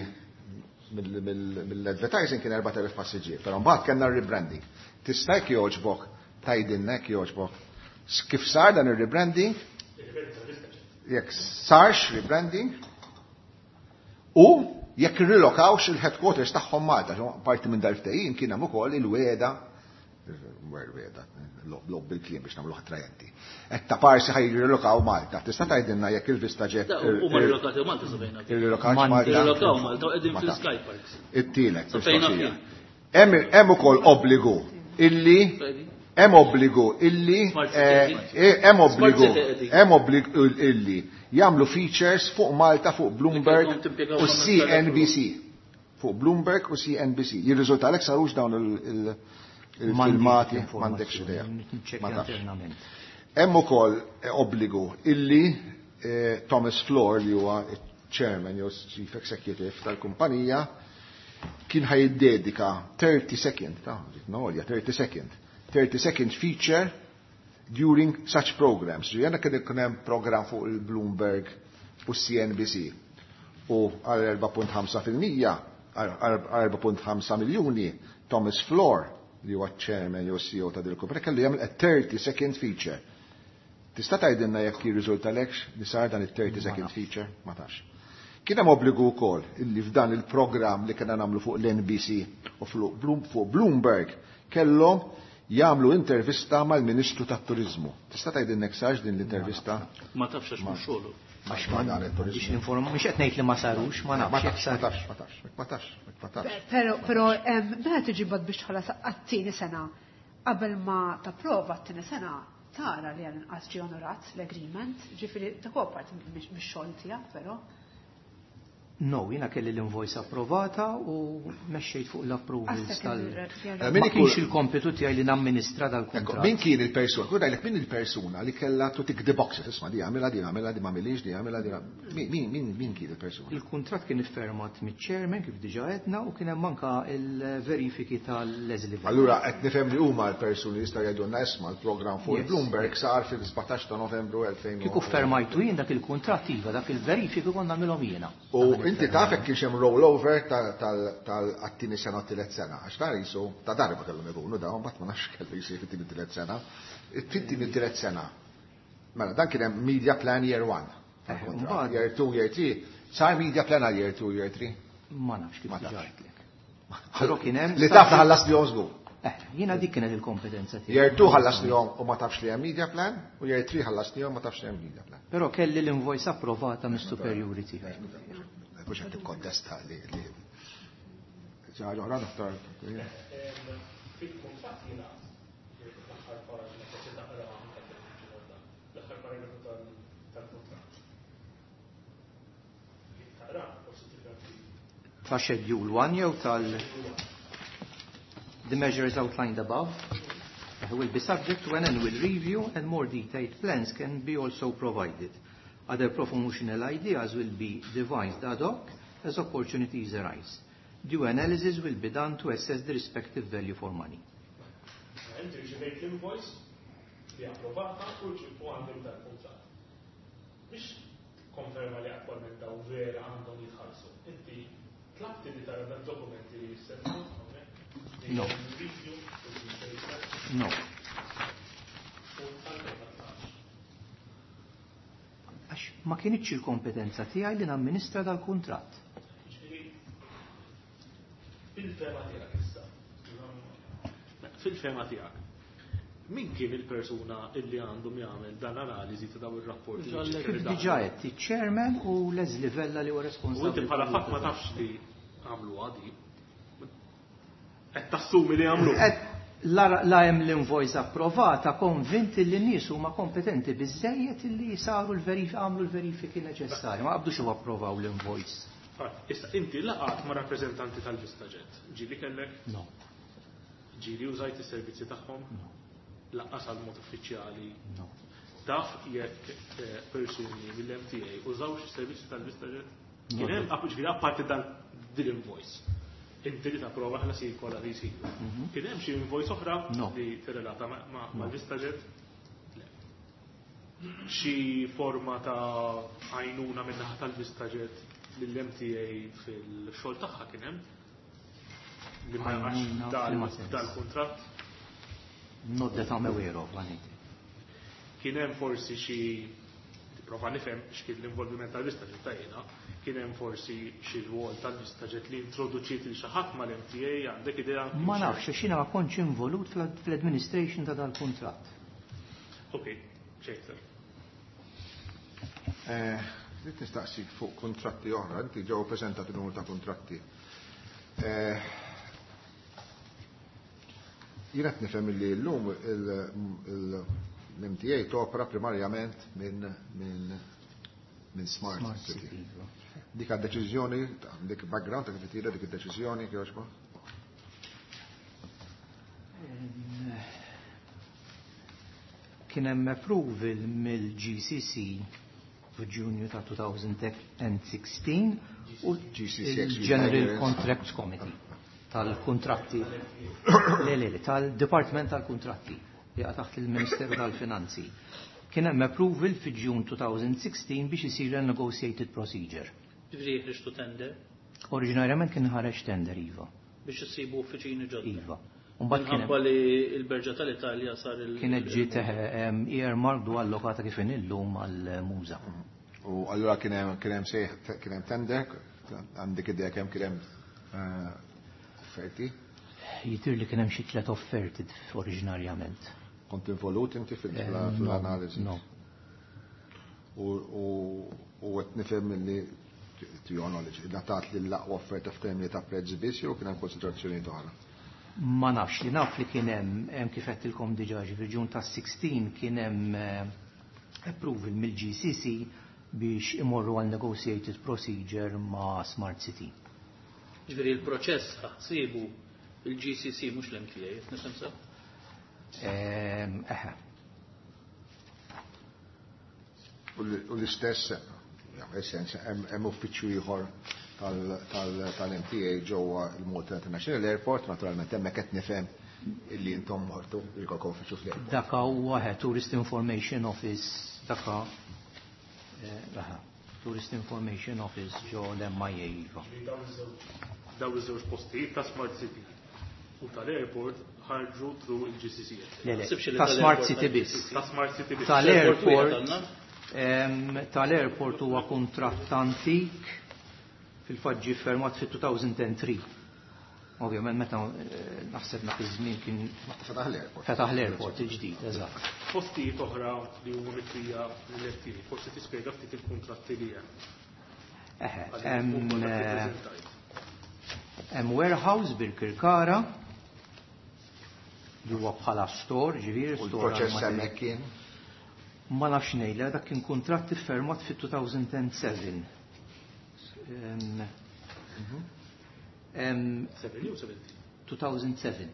mill- mill- mill-advertising kien erbat elef passiġġier, però mbagħad kellna rebranding. Tista' jekk jogħġbok tgħidilna jekk jogħġbok kif sar dan ir-rebranding, jekk sarx rebranding u jekk irrilokawx il-headquarters tagħhom Malta, ġo, parti minn dal-ftehim kien hemm ukoll il-weda, il-weda, lob bil-kliem biex nagħmlu attrajenti. Et ta' parsi ħaj jirrilokaw Malta. Tista' tgħidilna jekk il-Vista Jet Da, U ma rilokati Malta sabejna. irrilokawx Malta? Rilokaw Malta u qegħdin Ma tafx. fil-Sky Parks. It-tielet, Sa fejna mistoqsija. fien. Hemm hemm ukoll obbligu illi hemm obbligu illi Smart City eh, qegħdin. eh, hemm obbligu Smart City qegħdin. hemm obbligu illi jagħmlu features fuq Malta fuq Bloomberg Li kellhom timpjegaw u ħames C N B C. Fuq Bloomberg u C N B C. Jirriżulta sarux dawn il- il- il-filmati, m'għandekx idea. Ma tafx. Internament. Hemm ukoll eh, obbligu illi eh, Thomas Flohr, li huwa chairman jew chief executive tal-kumpanija, kien ħa jiddedika thirty second, ta' no, thirty second, thirty second feature during such programs. Ġiena kien ikun hemm program fuq il-Bloomberg u C N B C u għal erbgħa punt ħamsa fil-mija, għal erbgħa punt ħamsa miljuni, Thomas Flohr, li huwa chairman jew C E O ta' dil kumpanija, kellu jagħmel a thirty second feature. Tista' tgħidilna jekk jirriżultalekx li sar dan it-thirty second feature? Ma tafx. Kien hemm obbligu wkoll illi f'dan il-programm li kena nagħmlu fuq l-N B C u fuq Bloom- fuq Bloomberg kellhom jagħmlu intervista mal-Ministru tat-Turiżmu. Tista' tgħidilna jekk sarx din l-intervista? Ma tafx għax mhux xogħlu. Għax ma dan Biex it-turiżmu. ninforma, mhux qed ngħid li ma sarux, ma Ma nafx jekk tafx, sar. ma tafx, ma tafx, ma tafx, ma tafx. Pero, pero, em, meta tiġi bad biex tħallas għat-tieni sena, qabel ma tapprova t-tieni sena, tara li għal inqas ġie onorat l-agreement, ġifieri dak huwa parti mix-xogħol tiegħek, però. No, jiena kelli l-invoice approvata u mexxejt fuq l-approvals Għastek tal. il- Eh, min Ma ikun- kienx il-kompitu tiegħi li namministra Ecco, dal-kuntratt. min kien il-persuna? Kun ngħidlek min il-persuna li kellha to tick the boxes, isma' di għamilha, di għamilha, di m'għamilix, di għamilha, di Min min min min kien il-persuna? Il-kuntratt kien iffirmat miċ-chairman kif diġà għedna u kien hemm anka il-verifiki tal-Leslie Vella. Allura qed nifhem li huma l-persuni li jistgħu jgħidulna isma' l-programm fuq Yes. il-Bloomberg sar fil-sbatax ta' Novembru elfejn. Kieku fermajtu jien dak il-kuntratt, iva, dak il-verifiki konna nagħmilhom jiena. U inti taf jekk kienx hemm rollover tal-għat-tieni sena u t-tielet sena, għax ta' jisu ta' darba kellhom ikunu dawn, mbagħad ma nafx kellu jsir fit-tieni tielet sena. Fit-tieni tielet sena. Mela, dan kien hemm media plan year one. Eh, Tal-kuntratt. mbagħad- Year two, year three. Sar media plan għal year two, year three? Ma nafx kif Ma diġà tafx. għedtlek. Però kien hemm Li taf ħallas li żgur. Eh, jiena dik kienet il-kompetenza tiegħi. Year two ħallas li u ma tafx li hemm media plan, u year three ħallas li ma tafx li hemm media plan. Però kelli l-invoice approvata mis-superjuri tiegħi. Mhux qed tikkontesta li li xi ħaġa oħra, Dottor? Fil-kuntratt jingħad, l-aħħar paġna, forsi taqra anke fil-ġodda, l-aħħar paragrafu tal-kuntratt. Taqra, forsi tifhem ftit. Ta' schedule one jew tal The measures outlined above will be subject to an annual review and more detailed plans can be also provided. Other promotional ideas will be devised ad hoc as opportunities arise. Due analysis will be done to assess the respective value for money. Inti rċevejt l-invoice li approvata u ġibu għandek dal-kuntratt. Biex konferma li attualment daw vera għandhom jitħallsu. Inti tlabti li tara dan dokumenti li jissemmu, No. Review, No. U għalfejn ma tlabx? Għax ma kienitx il-kompetenza tiegħi li namministra dal-kuntratt. Ġifieri, bil-fehma tiegħek issa, Fil-fehma tiegħek, min kien il-persuna illi għandhom jagħmel dan analiżi ta' dawn ir-rapporti? Kif diġà għedt, iċ-chairman u Leslie Vella li huwa U inti responsabbli. bħala fatt ma tafx li għamlu għadi. Qed tassumi li għamlu. Qed La la hemm l-invoice approvata, konvinti li n-nies huma kompetenti biżejjed li saru l-verifiki, għamlu l-verifiki neċessarji, ma qabdux u approvaw l-invoice. Issa inti laqgħat ma' rappreżentanti tal-VistaJet. Ġieli kellek? No. Ġieli użajt is-servizzi tagħhom? No. Lanqas għal mod uffiċjali? No. Taf jekk eh, persuni mill-M T A użawx is-servizzi tal-VistaJet? Kien hemm ġifieri apparti dan din invoice. Inti li tapprova ħlasijiet kollha li jsiru. Mhm. Kien hemm xi invoice oħra No. li tirrelata mal-VistaJet? Le. Xi forma ta' għajnuna min-naħa tal-VistaJet lill-M T A fil-xogħol tagħha kien hemm? Li ma jaqax Għajnuna dal- f'liema sens? dal-kuntratt? Not that I'm aware of, għaniti. Kien hemm forsi xi, tipprova nifhem x'kien l-involviment tal-VistaJet ta' jiena, kien hemm forsi xi rwol tal-VistaJet li introduċiet lil xi ħadd mal-M T A, għandek idea? Ma nafx, għax jiena ma kontx involut fl- fl-administration ta' dal-kuntratt. Ok, xejn. Eh, Rrid nistaqsik fuq kontratti oħra, inti ġew preżentati numru ta' kontratti. Eh, Jien qed nifhem li llum l-M T A topra primarjament minn minn minn Smart Smart City. City. Iva. Dik għad-deċiżjoni, dik background ta' kif tira dik id-deċiżjoni kif? Em, Kien hemm approval mill-G C C f'Ġunju ta' elfejn u sittax u G C C il-General Contracts Committee tal-kontratti, le, le, le, tal-Department tal-Kontratti li jaqa' taħt il-Ministeru tal-Finanzi. Kien hemm approval fi Ġun elfejn u sittax biex isir a negotiated procedure. Ġifieri ħriġtu tender Oriġinarjament kien ħareġ tender, iva. Biex issibu uffiċini ġodda. Iva. Mbagħad kien hemm Minħabba li il-Berġa tal-Italja sar il- kienet ġiet earmarked u allokata kif illum għal-MUŻA. U allura kien hemm kien hemm sejħ, kien hemm tender, għandek idea kemm kien hemm eh, offerti? Jidhirli li kien hemm xi tliet offerti oriġinarjament. Kont involut inti Eh, fil-analiżi? No. U u- u qed nifhem li, to your knowledge, ngħatat li l-aqwa offerta f'termini ta' prezz biss jew kien hemm konsiderazzjoni oħra? Ma nafx, li naf li kien hemm hemm kif għedtilkom diġà, fil-Ġun ta' sittax kien hemm eh, approval mill-G C C biex imorru għal negotiated procedure ma' Smart City. Ġifieri il-proċess ħsibu il-G C C mhux l-M T A, qed nifhem sew? Ehm, Eħe. U l- u l-istess, jagħmel sens, hemm hemm uffiċċju ieħor tal-M T A ġewwa il-Malta International Airport, naturalment hemmhekk qed nifhem illi intom mortu jkollkom uffiċċju fl-airport. Daka huwa Tourist Information Office, daka eh, aha, Tourist Information Office ġo l-M I A, iva. Daw iż-żewġ postijiet ta' Smart City u tal-airport ħarġu through il-G C C. Le, le, Sibx li ta' Smart tal-airport City biss. Ta' Smart City biss. Tal-airport Airport wieħed għandna? em, tal-airport huwa kuntratt antik, fil-fatt ġie firmat fit-elfejn u tlieta. Ovvjament meta eh, naħseb dak iż-żmien kien Fetaħ l-airport. Fetaħ l-airport il-ġdid, eżatt. Postijiet oħra li huma mikrija mill-M T A, forsi tispjega ftit il-kuntratti li hemm. Eħe, Għaliex hemm ukoll dak li eh, ppreżentajt. hemm warehouse Birkirkara li huwa bħala store, ġifieri U store l-proċess għal hemmhekk kien Ma nafx ngħidla, dak kien kuntratt iffirmat fit-elfejn u seba'. Em, em, seven jew seventeen? elfejn u seba'.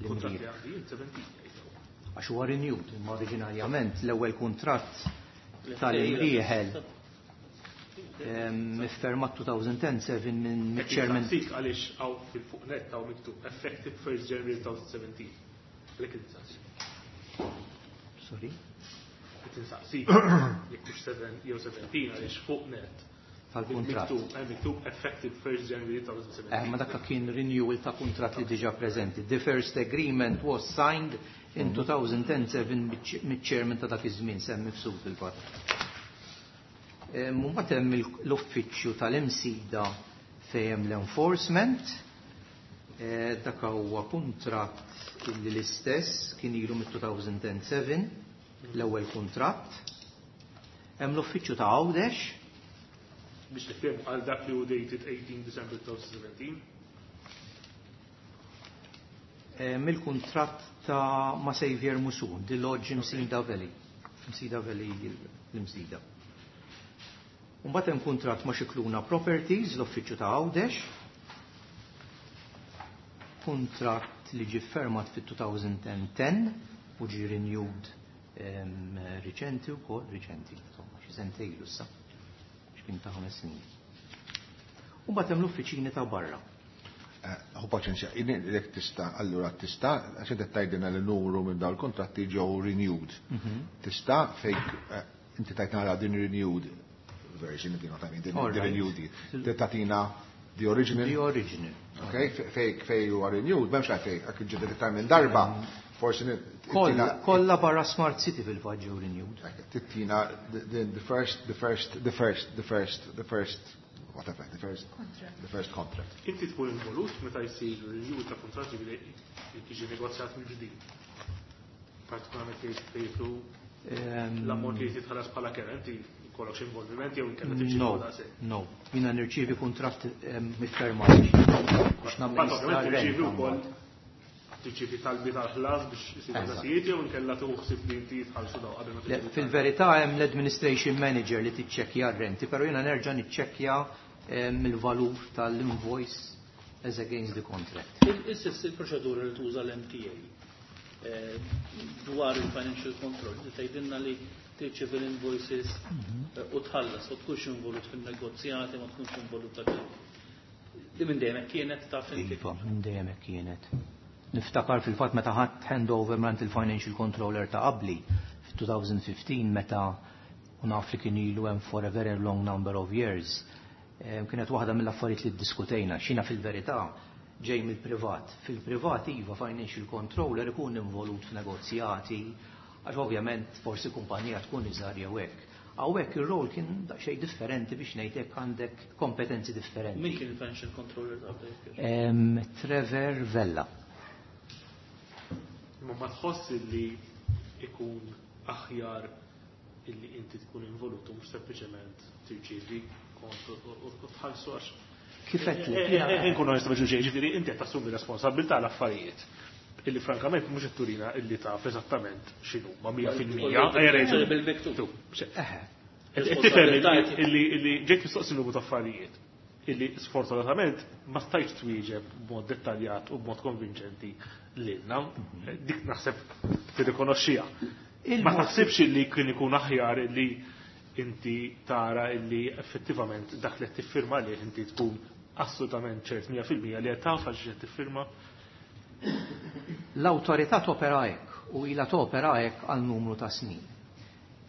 Kuntratti L-imrieħ. għandi jien seventeen jgħidu. Għax huwa renewed, imma oriġinarjament l-ewwel kuntratt tal-Imrieħel iffirmat elfejn u seba' minn mill-chairman. Saqsik għaliex hawn fil-fuq net hawn miktub effective first January twenty seventeen. Għalhekk insaqsik. Sorry. Qed insaqsik jekk hux seven jew seventeen għaliex fuq net Tal-kuntratt. Miktub, eh, miktub effective first January twenty seventeen. Eh, ma dak kien renewal ta' kuntratt li diġà preżenti. The first agreement was signed in two thousand seven mill-chairman ta' dak iż-żmien, Sam Mifsud fil-fatt. Mbagħad hemm il- l-uffiċċju tal-Imsida fejn hemm l-enforcement. Eh, dak huwa kuntratt illi l-istess kien ilu mit-two thousand seven, l-ewwel kuntratt. Hemm l-uffiċċju ta' Għawdex. Biex nifhem, għal dak li hu dated eighteen December twenty seventeen. eh, mill-kuntratt ta' ma' Xavier Musun, The Lodge Msida Valley. Msida Valley, l-Imsida. Mbagħad hemm kuntratt ma' Xikluna Properties, l-uffiċċju ta' Għawdex. Kuntratt li ġie fermat fit-twenty ten u ġie renewed em, riċenti wkoll, riċenti, insomma, xi sentejn ilu issa, x'kien ta' ħames snin. U mbagħad hemm l-uffiċini ta' barra. Hu paċenzja, jekk tista', allura tista', għax inti tgħidilna li numru minn dawn il-kontratti ġew renewed. Tista' fejk eh, inti tajtna din renewed version, if you know what I mean, din All the right. renewed. Tagħtina the original. The original. Okay, fej fej huwa renewed, m'hemmx għalfejn, għak ġeddet iktar minn darba, forsi ni- Kolla, tittina- kolla barra Smart City fil-fatt ġew renewed. Tittina the, the, the first, the first, the first, the first, the first, whatever, the first, the first contract. Inti tkun involut meta jsir review ta' kontratti li jiġi negozjat mill-ġdid. Partikolarment li jitlu Em, l-ammont li jitħallas bħala kera, inti jkollok xi involviment jew inkella tirċievi No, daqshekk. no. Jiena nirċievi kuntratt em, miffirmat biex Mbagħad namministra ovvjament tirċievi r-rent. wkoll tirċievi talbi tal-ħlas biex isiru Eżatt. ħlasijiet jew inkella tuħsib li inti jitħallsu daw qabel ma Le, tirċievi. fil-verità hemm l-administration manager li tiċċekkja r-renti, però jiena nerġa' niċċekkja em, il-valur tal-invoice as against the contract. Issa il-proċedura li tuża l-M T A eh, dwar il-financial control, li tgħidilna li tirċievi l-invoices eh, u tħallas u tkunx involut fin-negozjati, ma tkunx involut ta' Di minn dejjem hekk kienet, taf inti? Iva, minn dejjem hekk kienet. Niftakar fil-fatt meta ħadt handover mingħand il-financial controller ta' qabli fi twenty fifteen, meta u naf li kien ilu hemm for a very long number of years. Em, Kienet waħda mill-affarijiet li ddiskutejna, xina fil-verità ġej mill-privat. Fil-privat iva, financial controller ikun involut f'negozjati, għax ovvjament forsi kumpanija tkun iżgħar jew hekk. Hawnhekk ir-rol kien daqsxejn differenti, biex ngħid hekk, għandek kompetenzi differenti. Min kien il-financial controller ta' qabel? Em, Trevor Vella. Imma ma tħoss li ikun aħjar illi inti tkun involut u mhux sempliċement tirċievi kont u- u u tħallsu, għax Kif qed Eh, eh, eh, Inkun onest ma' ġuġej, ġifieri inti qed tassumi responsabilità l-affarijiet illi frankament mhux qed turina illi taf eżattament x'inhu ma' mija fil-mija. Bil-miktub. Eħe. Tifhem illi illi ġejt mistoqsi numru ta' affarijiet illi sfortunatament ma stajtx twieġeb b'mod dettaljat u b'mod konvinċenti lilna. Dik naħseb tirrikonoxxiha. Ma taħsibx illi kien ikun aħjar illi inti tara illi effettivament dak li qed tiffirma lih inti tkun assolutament ċert mija fil-mija li qed taf għal qed tiffirma? L-awtorità topera hekk u ilha topera hekk għal numru ta' snin.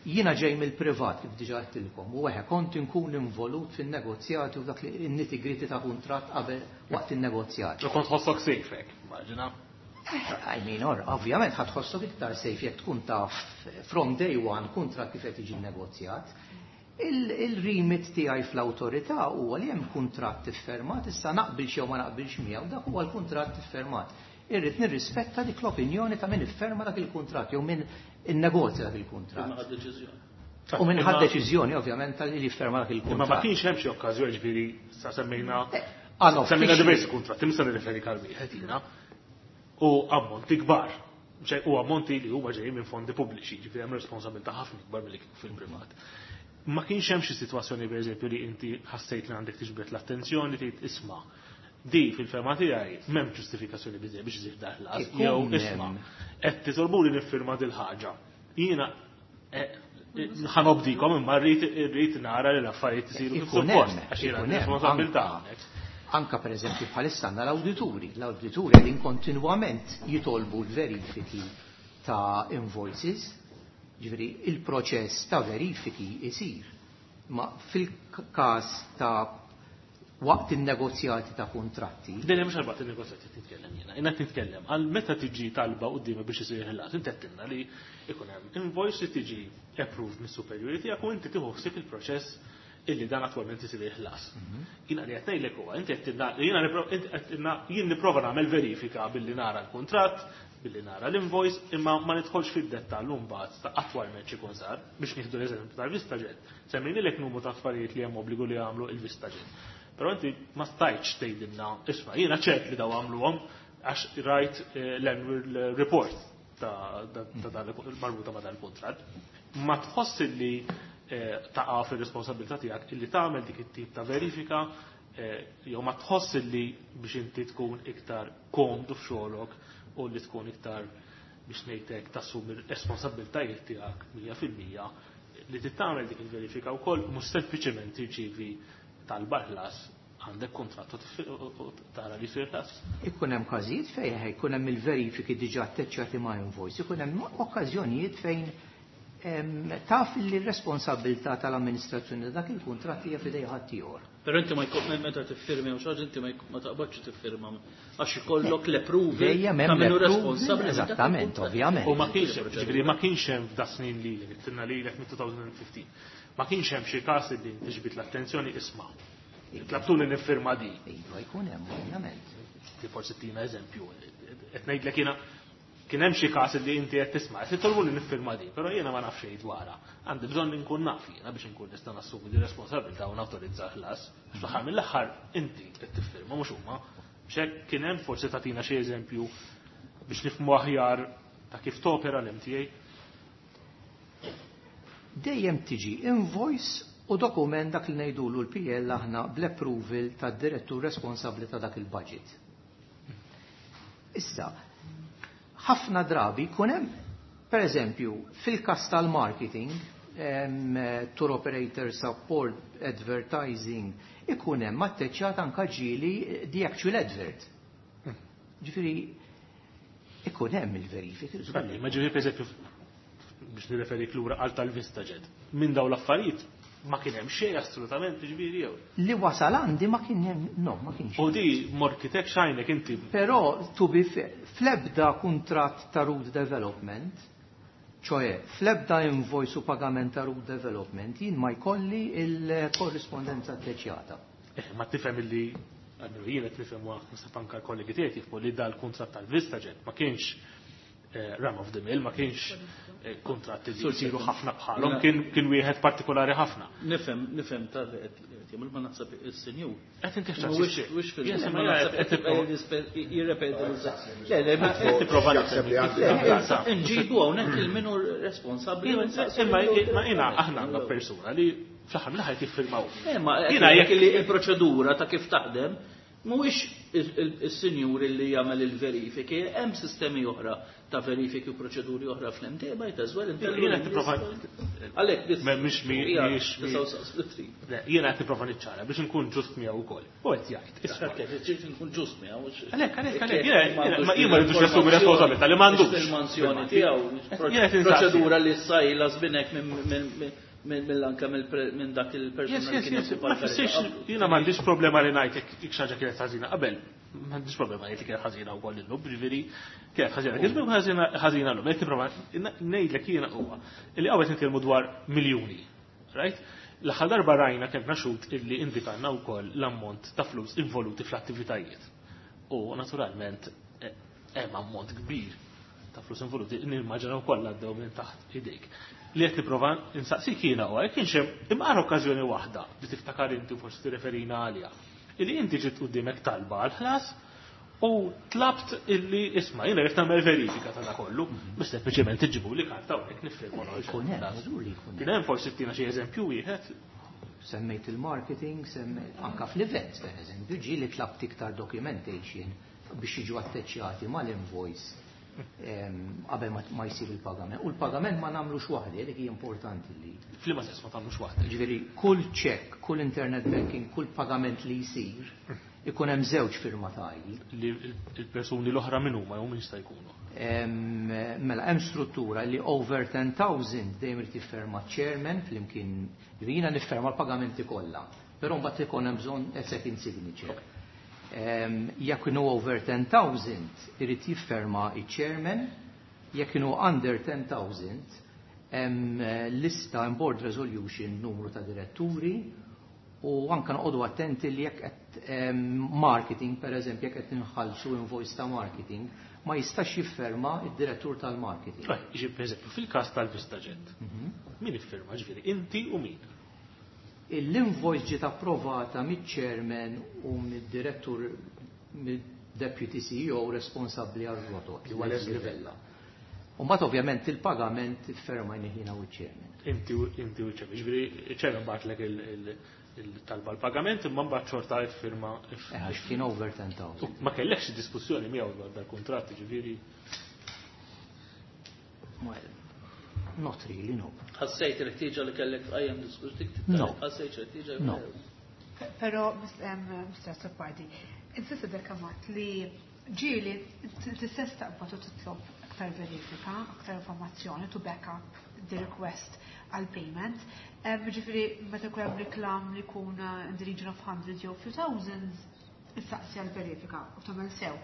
Jiena ġej mill-privat, kif diġà għedtilkom, u eħe, kont inkun involut fin-negozjati u dak li nitty-gritty ta' kuntratt qabel, waqt in-negozjati. U kont tħossok safe hekk, immaġina. I mean, or, ovvjament ħa tħossok iktar safe jekk tkun taf from day one kuntratt kif qed jiġi negozjat. Il-remit tiegħi fl-awtorità huwa li hemm kuntratt iffirmat, issa naqbilx jew ma naqbilx miegħu, dak huwa l-kuntratt iffirmat. Irrid nirrispetta dik l-opinjoni ta' min ifferma dak il-kuntratt jew min innegozja dak Ma il-kuntratt. ħad deċiżjoni. U min ħad deċiżjoni ovvjament tal li jifferma dak Imma ma il-kuntratt. kienx hemm xi okkażjoni, ġifieri sa semmejna Ah, no, semmejna uffiċċji. diversi kuntratti, mista nirreferi għal wieħed jiena. U ammonti kbar. Ċe, u ammonti li huma ġejjin minn fondi pubbliċi, ġifieri hemm responsabilità ħafna ikbar milli kieku fil-privat. Ma kienx hemm xi sitwazzjoni, pereżempju, li inti ħassejt li għandek tiġbed l-attenzjoni, tgħid, "Isma', di fil-fehma tiegħi m'hemm ġustifikazzjoni biżejjed biex iżid daħlas," Ikun jew, "Isma', hemm. qed titolbuli niffirma dil ħaġa. Jiena eh, ħa nobdikom imma rrid irrid nara li l-affarijiet isiru kif Ikun suppost hemm, għax jiena ikun hemm, responsabilità anka- hawnhekk." Anka per eżempju bħalissa għandna l-awdituri. L-awdituri qegħdin kontinwament jitolbu l-verifiki ta' invoices, ġifieri il-proċess ta' verifiki isir. Ma fil-każ ta' waqt il-negozjati ta' kontratti, Dejjem mhux għal il-negozjati titkellem jiena. Jiena titkellem għal meta tiġi talba qudiema biex isir ħlas, inti għedtilna li ikun hemm invoice li tiġi approved mis-superiority tiegħek u inti tieħu ħsieb il-proċess illi dan attwalment isir il-ħlas. Jiena li qed ngħidlek huwa, inti qed jiena jien nipprova nagħmel verifika billi nara l-kuntratt, billi nara l-invoice, imma ma nidħolx fid-dettall mbagħad ta' attwalment x'ikun sar biex nieħdu l-eżempju tal-VistaJet. Semmejnilek numru ta' affarijiet li hemm obbligu li jagħmlu il-VistaJet. Però inti ma stajtx tgħidilna, isma' jiena ċert li daw għamluhom għax rajt l-annual report ta' dan marbuta ma' dan il-kuntratt. Ma tħoss li taqa' fir-responsabilità tiegħek illi tagħmel dik it-tip ta' verifika jew ma tħoss li biex inti tkun iktar komdu f'xogħolok u li tkun iktar biex ngħidlek tassumi r-responsabbiltajiet tiegħek mija fil-mija li tagħmel dik il-verifika wkoll mhux sempliċement tirċievi talba ħlas għandek kuntratt u tara li jsir ħlas. Ikun hemm każijiet fejn ikun hemm il-verifiki diġà atteċċjati ma' invoice, ikun hemm okkażjonijiet fejn taf li r-responsabilità tal-amministrazzjoni dak il-kuntratt hija f'idej ħaddieħor. Però inti ma jkun meta tiffirmi u xi ħaġa inti ma taqbadx tiffirma għax ikollok l-approval ta' min hu responsabbli. Eżattament, ovvjament. U ma kienx hemm, ġifieri ma kienx hemm f'da snin lilek, tinna lilek mit-elfejn u ħmistax. Ma kienx hemm xi każ li tiġbid l-attenzjoni isma'. Tlabtuni niffirma di. Iva jkun hemm, ovvjament. Ti forsi tina eżempju. Qed ngħidlek jiena kien hemm xi każ li inti qed tisma' qed titolbu li niffirma di, però jiena ma nafx xejn dwarha. Għandi bżonn inkun naf jiena biex inkun nista' nassumi di responsabilità u nawtorizza ħlas. Fl-aħħar mill-aħħar inti qed tiffirma mhux huma. Biex kien hemm forsi tagħtina xi eżempju biex nifhmu aħjar ta' kif topera l-M T A. Dejjem tiġi invoice u dokument dak li ngħidulu l-P L aħna bl-approval tad-direttur responsabbli ta' dak il-budget. Issa, ħafna drabi jkun hemm, per eżempju, fil-kas tal-marketing, tour operator support, advertising, ikun hemm atteċċjat anka ġieli the actual advert. Ġifieri, ikun hemm il-verifiki. Ma ġifieri per eżempju, biex nirreferik lura għal tal-VistaJet, minn daw l-affarijiet ma kien hemm xejn assolutament ġifieri jew. Li wasal għandi ma kien hemm, no, ma kienx. U di morkitek xajnek inti. Però, to be fair, fl-ebda kuntratt ta' route development, ċoe, fl-ebda invoice u pagament ta' route development, jien ma jkolli il-korrispondenza atteċjata. Eh, ma tifhem illi għandu jien qed nifhem wa naħseb anke l-kollegi tiegħi jifhmu li dal-kuntratt tal-VistaJet ma kienx eh, run of the mill, ma kienx eh, kuntratt li jsiru ħafna bħalhom, kien kien wieħed partikolari ħafna. Nifhem, nifhem tal qed jagħmel ma naħseb is-senjur. Qed inti Mhuwiex mhuwiex fil ma naħseb qed jirrepeti l. Le, le, ma qed tipprova Jaħseb li għandi. Nġibu hawnhekk il-minu responsabbli. Imma ma jiena aħna għandna persuna li fl-aħħar mill-aħħar jiffirmaw. Eh, ma Jiena jekk li il-proċedura ta' kif taħdem mhuwiex is-sinjur li jagħmel il-verifiki, hemm sistemi oħra ta' verifiki u proċeduri oħra fl-M T A might as well. Jiena qed nipprova Għalhekk biss. Mhix hija mhix tnejn. Jiena qed nipprova niċċara biex inkun ġust miegħu wkoll. U qed jgħid, isma'. Ġiet nkun ġust miegħu. Għalhekk, għalhekk, għalhekk, jiena jien ma rridux nassumi responsabilità li m'għandux. Il-mansjoni tiegħu, Jiena qed insaqsi. proċedura li sajla żbinek minn mill-anka minn dak il-persuna Yes, li yes, kien yes. jokkupa Ma l-kariga fissirx, qablu. jiena m'għandix problema li ngħid jekk jekk xi ħaġa kienet ħażina qabel. M'għandix problema ngħid li kienet ħażina wkoll illum, ġifieri kienet ħażina. Kien ħażina ħażina llum. Jekk nipprova ngħidlek jiena huwa li qawet nitkellmu dwar miljuni. Right? L-aħħar darba rajna kemm xhud illi indikanna wkoll l-ammont ta' flus involuti fl-attivitajiet. U naturalment eh, hemm ammont kbir ta' flus involuti, nimmaġina wkoll għaddew minn taħt idejk. Li qed nipprova insaqsik jiena huwa jekk kienx hemm imqar okkażjoni waħda li tiftakar inti u forsi tirreferina għaliha. Illi inti ġiet quddiemek talba għal ħlas u tlabt illi isma' jiena rrid nagħmel verifika ta' kollu, biex sempliċement iġibu li karta hawnhekk nifirmu. Ikun hemm, żgur li jkun hemm. Kien hemm forsi tina xi eżempju wieħed. Semmejt il-marketing, semmejt anka fl-events, per eżempju, ġi li tlabt iktar documentation biex jiġu atteċjati mal-invoice em, qabel ma- ma jsir il-pagament. U l-pagament ma nagħmlux waħdi, dik hija importanti li. F'liema sens ma tagħmlux waħda? Ġifieri, kull check, kull internet banking, kull pagament li jsir, ikun hemm żewġ firmatarji. Li il-persuni l-oħra min huma jew min jista' jkunu? Em, Mela, hemm struttura li over ten thousand dejjem irid jifferma chairman flimkien, jiena nifferma l-pagamenti kollha, però mbagħad ikun hemm bżonn a second signature. Em, Jekk inhu over ten thousand irid jifferma il-chairman, jekk inhu under ten thousand hemm eh, lista hemm board resolution numru ta' diretturi. U anka noqogħdu attenti li jekk qed marketing, per eżempju, jekk qed inħallsu invoice ta' marketing, ma jistax jifferma id-direttur tal-marketing. Ġi, per eżempju, fil-każ tal-VistaJet, min iffirma, ġifieri, inti u min? L-invoice ġiet approvata miċ-chairman u mid-direttur, mid-deputy C E O responsabbli għal-rotot, li huwa Leslie Vella. U mbagħad ovvjament il-pagament iffirmajna jiena u ċ-chairman. Inti u inti u ċ-chairman. Ġifieri, ċ-chairman bagħatlek il-talba l-pagament, imma mbagħad xorta iffirma. Eh, għax kien over ten thousand. U ma kellekx diskussjoni miegħu dwar dal-kuntratt, ġifieri. Well, not really, no. Ħassejt il-ħtieġa li kellek tqajjem diskussjoni? No. Ħassejt il-ħtieġa? No. Pero, Mister Azzopardi, insista dekamat li ġieli tistess taqbad u titlob aktar verifika, aktar informazzjoni to back up the request għal payment. Ġifieri, meta jkun hemm reklam li jkun uh, in the region of hundreds jew few thousands, issaqsi għal verifika u tagħmel sew.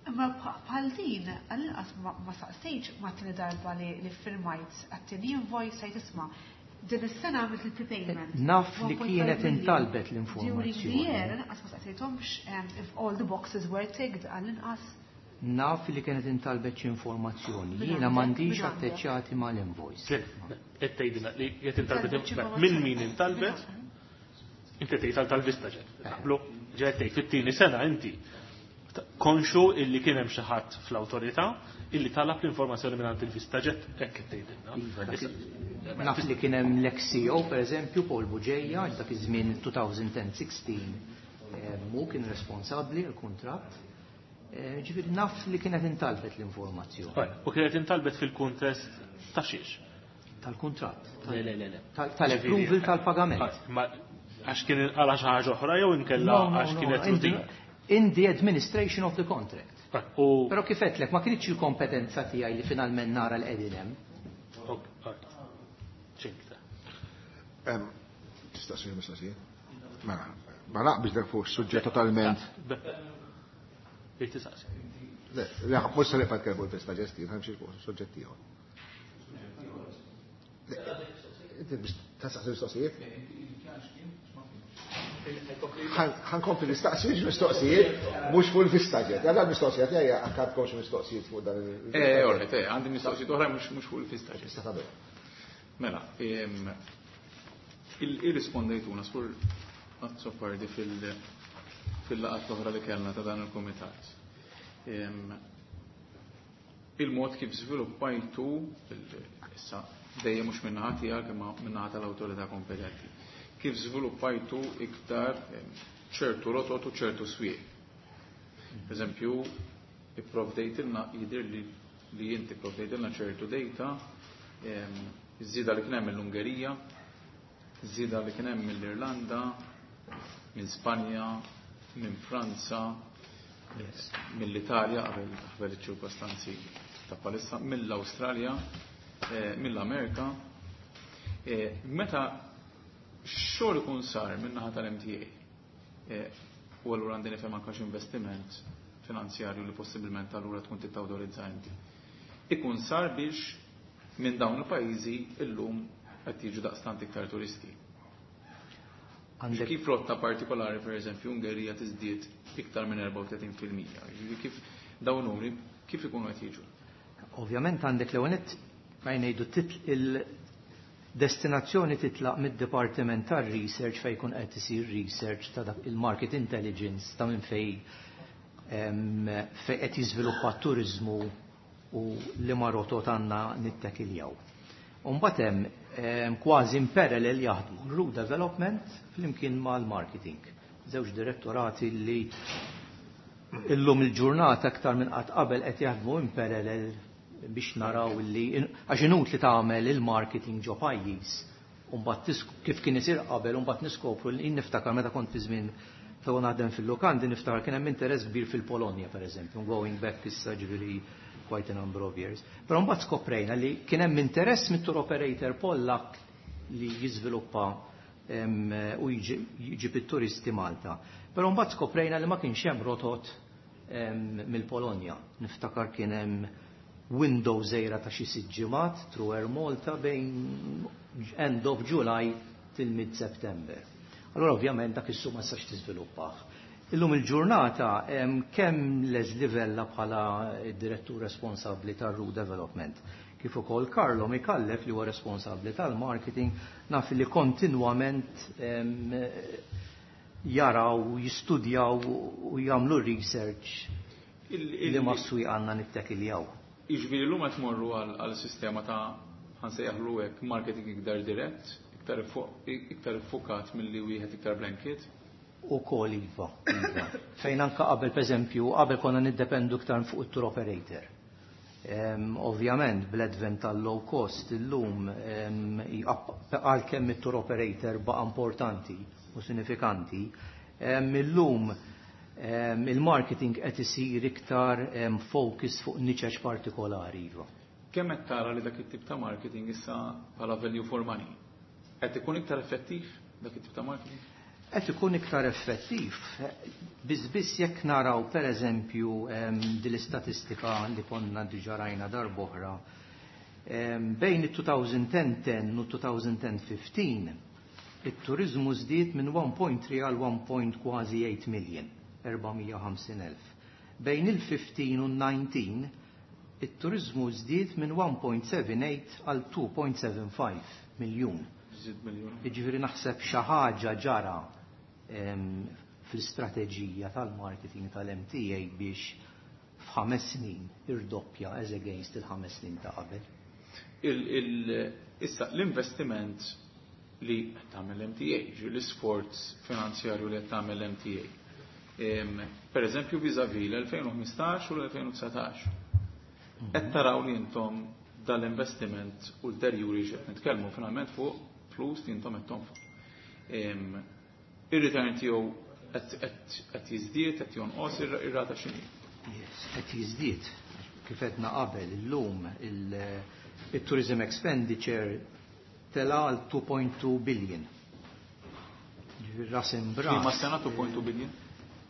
Imma bħal din, għall-inqas ma saqsejx ma t darba li li firmajt għat-tieni invoice għajt, "Isma', din is-sena għamilt il-prepayment." Naf li one point five kienet million. intalbet During the l-informazzjoni. year, inqas ma saqsejthomx um, if all the boxes were ticked għall-inqas. Naf li kienet intalbet xi informazzjoni. Min Jiena għandek? m'għandix Min għandek? atteċċjati mal-invoice. Qed tgħidilna li qed intalbet Intalbet xi minn min intalbet, inti tgħid tal tal-VistaJet. Naqblu, ġej tgħid fit-tieni sena inti konxu illi kien hemm xi ħadd fl-awtorità illi talab l-informazzjoni minn il-VistaJet, hekk qed tgħidilna. Iva, dak- Naf li kien hemm l-ex-C E O, per eżempju, Paul Bugeja, dak iż-żmien elfejn u sittax, eh, mu kien responsabbli l-kuntratt. Eh, Ġifieri naf li kienet intalbet l-informazzjoni. U kienet intalbet fil-kuntest ta' xiex? Tal-kuntratt. Le, le, le, le. Tal- Tal-approval tal-pagament. Ma għax kien għala xi ħaġa oħra jew inkella No, no, għax no, kienet in the- rutin? In the administration of the contract. U Però kif għedtlek, ma kienx il-kompetenza tiegħi li finalment nara l-qegħdin hemm. Ok, alright. Ċinkta. Em, Tistaqsi mistoqsija? Mela, ma naqbix dak fuq suġġett totalment. Irrid tistaqsi. Le, le, mhux se nibqa' nitkellmu l-VistaJet, ħa nimxi fuq suġġett ieħor. Le, inti biex tistaqsi mistoqsijiet? Ħa nkompli nistaqsi mistoqsijiet mhux fuq il-VistaJet. Għalla l-mistoqsija tiegħi għandkom xi mistoqsijiet fuq dan il- Eh, alright, eh, għandi mistoqsijiet oħra mhux mhux fuq il-VistaJet. Tista' tagħmel. Mela, em, il- irrispondejtuna sur Azzopardi fil- fil-laqgħat l-oħra li kellna ta' dan il-komitat. Em, Il-mod kif żviluppajtu, il- issa dejjem mhux min-naħa tiegħek imma min-naħa tal-awtorità kompetenti, kif żviluppajtu iktar em, ċertu rotot u ċertu swieq. Per eżempju, ipprovdejtilna, jidir li li inti provdejtilna ċertu data, em, iż-żieda li kien hemm mill-Ungerija, iż-żieda li kien hemm mill-Irlanda, minn Spanja, minn Franza, mill-Italja qabel qabel iċ-ċirkostanzi ta' palissa, mill-Awstralja, eh, mill-Amerika. Eh, Meta xogħol ikun sar min-naħa tal-M T A, eh, u allura għandi nifhem anke investiment finanzjarju li possibilment allura tkun tittawtorizza inti, ikun sar biex minn dawn il-pajjiżi illum qed jiġu daqstant iktar turisti. Għandek Kif rotta partikolari, per eżempju, Ungerija tiżdied iktar minn erbgħa u tletin fil-mija. Ġifieri kif dawn numri kif ikunu qed jiġu? Ovvjament għandek l-ewwel ma jgħidu il-destinazzjoni titlaq mid-Dipartiment tar-Research fejn jkun qed isir research ta' dak il-market intelligence ta' minn fej em, fej qed jiżviluppa t-turizmu u li ma rotot għandna nittakiljaw. Umbagħad hemm em, kważi in parallel jaħdmu route development flimkien mal-marketing. Żewġ direttorati li illum il-ġurnata aktar minn qatt qabel qed jaħdmu in parallel biex naraw li għax inutli tagħmel il-marketing ġo pajjiż u mbagħad tis- kif kien isir qabel u mbagħad niskopru li niftakar meta kont fi żmien ta' naħdem fil-lukandi, niftakar kien hemm interess kbir fil-Polonja, pereżempju, going back issa ġifieri quite a number of years. Però mbagħad skoprejna li kien hemm interess mit-tour operator Pollak li jiżviluppa em, u jġib it-turisti Malta. Però mbagħad skoprejna li ma kienx hemm rotot em, mill-Polonja. Niftakar kien hemm window żgħira ta' xi sitt ġimgħat through Air Malta bejn end of July till mid September. Allora ovvjament dak is-suq ma tistax tiżviluppah. Illum il-ġurnata kemm Leslie Vella bħala direttur responsabbli tar-Route Development, kif ukoll Carlo Mikallef li huwa responsabbli tal-marketing, naf li kontinwament jaraw, jistudjaw u jagħmlu research li ma swieq għandna nittekiljaw. Jiġifieri llum qed tmorru għal sistema ta' ħa nsejjaħlu hekk marketing iktar dirett, iktar iffukat milli wieħed iktar blanket? Ukoll iva, iva. Fejn anka qabel, pereżempju, qabel konna niddependu iktar fuq it-tour operator. Ovvjament, bl-advent tal-low cost illum, għalkemm it-tour operator baqa' importanti u sinifikanti, illum il-marketing qed isir iktar focus fuq niċeċ partikolari. Iva. Kemm qed tara li dak it-tip ta' marketing issa bħala value for money? Qed ikun iktar effettiv dak it-tip ta' marketing? Qed ikun iktar effettiv. Biss biss jekk naraw pereżempju din l-istatistika li konna diġà rajna darb'oħra, bejn it-twenty ten u twenty fifteen it-turizmu żdied minn one point three għal one point kważi eight million, erba' mija u ħamsin elf. Bejn il-fifteen u nineteen it-turizmu żdied minn one point seven eight għal two point seven five miljun. Żied miljun. Jiġifieri naħseb xi ħaġa ġara fl-istrateġija tal-marketing tal-M T A biex f'ħames snin irdoppja as against il-ħames snin ta' qabel. Issa l-investiment li tagħmel M T A, ġi l-isforz finanzjarju li tagħmel M T A. Per eżempju vis-à-vis l-elfejn u ħmistax u l-elfejn u dsatax. Qed taraw li intom dal-investiment ulterjuri, x'qed nitkellmu finalment fuq flus li intom qed tonfqu. Ir-return tiegħu qed jiżdied, qed jonqos, ir-rata x'inhi? Yes, qed jiżdied. Kif għedna qabel, illum il-tourism expenditure tela għal two point two billion. Ras imbras. Ma sena two point two billion?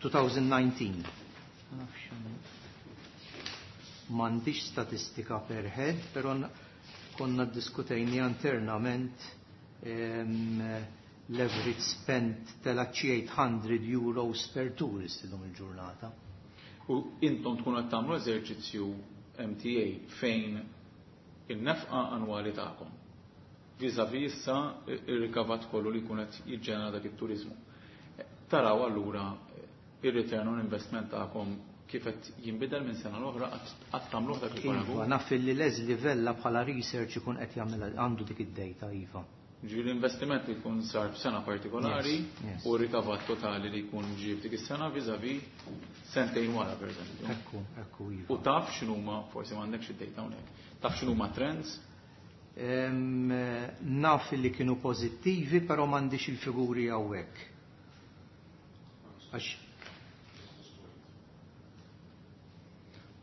twenty nineteen. M'għandix statistika per head, pero konna diskutejni internament, l-average spend tela eight hundred euros per tourist illum il-ġurnata. U intom tkunu qed tagħmlu eżerċizzju M T A fejn il-nefqa annwali tagħkom vis-à-vis issa ir-rikavat kollu li jkun qed jiġġenera dak it-turizmu. Taraw allura ir-return on investment tagħkom kif qed jinbidel minn sena l-oħra, qatt tagħmluh dak il-paragun? Iva, naf li Leslie Vella bħala research ikun qed jagħmel, għandu dik id-data, iva. Ġifieri l-investiment li jkun sar f'sena partikolari u rikavat totali li jkun ġie f'dik is-sena vis-à-vis sentejn wara, pereżempju. Ekku, ekku, iva. U taf x'inhuma, forsi m'għandekx id-data hawnhekk, taf x'inhuma trends? Em, naf li kienu pożittivi, però m'għandix il-figuri hawnhekk. Għax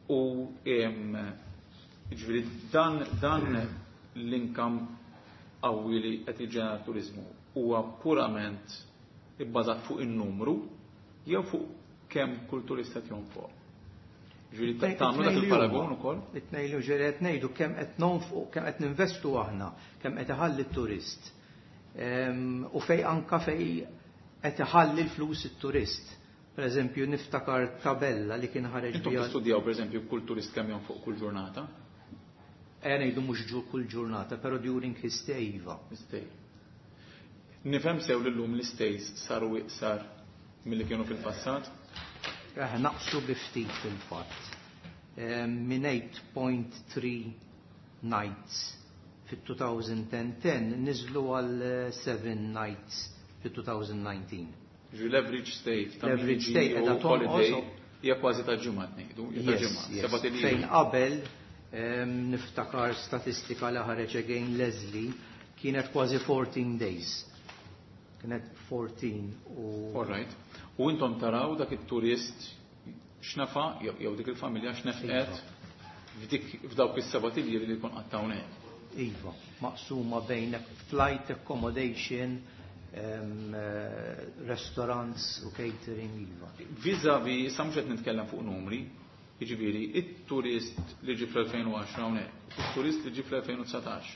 U em, ġifieri dan, dan l-income qawwi li qed jiġġenera turizmu huwa purament ibbażat fuq in-numru jew fuq kemm kull turista qed jonfoq? Ġifieri tagħmlu dak il-paragun ukoll? It-tnejn li ġifieri qed ngħidu kemm qed nonfqu, kemm qed ninvestu aħna, kemm qed iħalli t-turist. Em, U fej anka fej qed iħalli l-flus it-turist. Per eżempju, niftakar tabella li kien ħareġ Intom biha. tistudjaw, pereżempju, kull turist kemm jonfoq kull ġurnata? Eh, ngħidu mhux ġu kull ġurnata, però during his stay, iva. Stay. Nifhem sew li llum l-stays saru iqsar milli kienu fil-passat? Eh, naqsu bi ftit fil-fatt. Em, Minn eight point three nights fit-twenty ten niżlu għal seven nights fit-twenty nineteen. Ġi l-average stay ta' min L-average jiġi stay u qiegħda tonqos. Holiday hija kważi ta' ġimgħa ngħidu, hija ta' Yes, ġimgħa, yes. seba' t'ijiem. Fejn qabel em, niftakar statistika li ħareġ again Leslie kienet kważi fourteen days. Kienet fourteen u All right. U intom taraw dak it-turist x'nefa jew jew dik il-familja x'nefqet f'dik f'dawk is-seba' t'iljieli li jkun qatt hawnhekk. Iva, maqsuma bejn flight accommodation, um, restaurants u catering, iva. Vis-à-vis, issa mhux qed nitkellem fuq numri, jiġifieri it-turist li ġie fl-elfejn u għaxra hawnhekk, it-turist li ġie fl-elfejn u dsatax,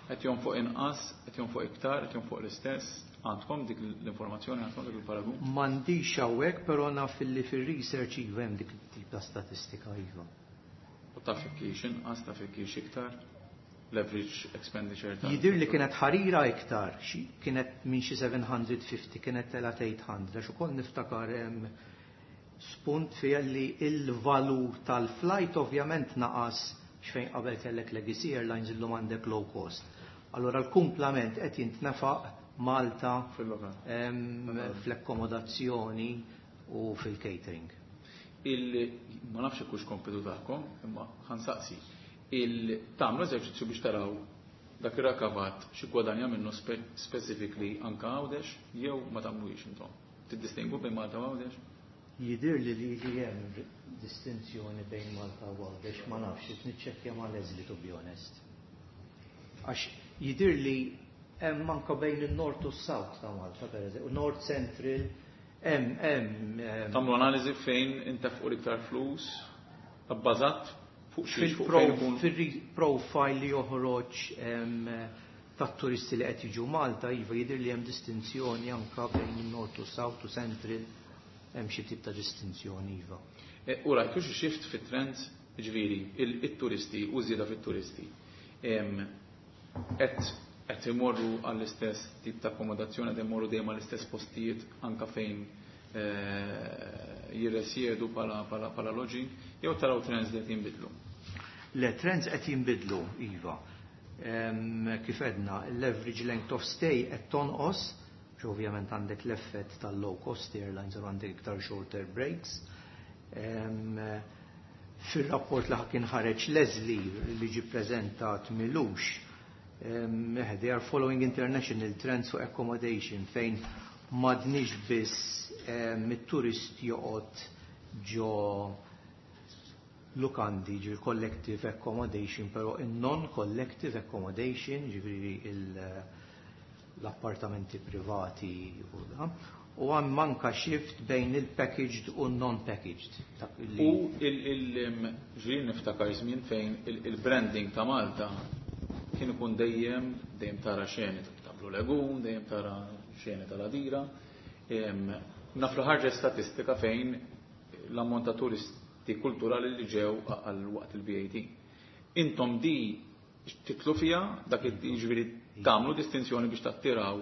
qed jonfoq inqas, qed jonfoq iktar, qed jonfoq l-istess, Għandkom dik l-informazzjoni, għandkom dik il-paragun? M'għandix hawnhekk, però naf li fir-research iva hemm dik it-tip ta' statistika iva. U taf jekk hix inqas, taf jekk hix iktar? L-average expenditure ta' Jidir li kienet ħarira iktar, xi- kienet minn xi seba' mija u ħamsin kienet telgħet tmien mija, għax ukoll niftakar hemm spunt fija li il-valur tal-flight ovvjament naqas xejn qabel kellek legacy airlines, illum għandek low cost. Allora l-kumplament qed jintnefaq Malta fil-lokal. em, fl-akkomodazzjoni u fil-catering. Il, ma nafx hux kompitu tagħkom, imma ħa nsaqsi. Il tagħmlu eżerċizzju biex taraw dak ir-rikavat xi gwadanja minnu spe specifically anka Għawdex jew ma tagħmluhiex intom? Tiddistingwu bejn Malta u Għawdex? Jidir li li li hemm distinzjoni bejn Malta u Għawdex, ma nafx, qed niċċekkja ma' Leslie, to be honest. Għax jidir li hemm anka bejn il-North u s-South ta' Malta, per eżempju, North Central, hemm hemm em, Tagħmlu analiżi fejn intefqu l-iktar flus, bbażat fuq xiex, fuq fejn ikun fil-profile li joħroġ em, tat-turisti li qed jiġu Malta, iva, jidher li hemm distinzjoni anka bejn il-North u South u Central, hemm xi tip ta' distinzjoni iva. E, U rajtu xi shift fit-trends, ġifieri, il-turisti u żieda fit-turisti. Em, Qed qed imorru għall-istess tip ta' akkomodazzjoni, qed imorru dejjem għall-istess postijiet anka fejn eh, jirresjedu pala, pala, pala lodging, jew taraw trends li qed jinbidlu? Le, trends qed jinbidlu, iva. Em, Kif edna, l-average length of stay qed tonqos, għax ovvjament għandek l-effett tal-low cost airlines u għandek iktar shorter breaks. Em, Fil-rapport li kien ħareġ Leslie li ġi prezentat m'ilux, em, eh, they are following international trends for accommodation fejn m'għadniex biss em, it-turist joqgħod ġo lukandi, ġi collective accommodation, pero in non-collective accommodation, ġifieri il- l-appartamenti privati u da, u hemm anka shift bejn il-packaged u non-packaged. Dak li- U il-ġiri niftakar żmien fejn il- il-branding ta' Malta kien ikun dejjem dejjem tara xeni ta' Blue Lagoon, dejjem tara xeni tal-Għadira. Em, Naf li ħarġet statistika fejn l-ammont ta' turisti kulturali li ġew għal waqt il-B A T. Intom di titlu fija dak ġifieri tagħmlu distinzjoni biex tattiraw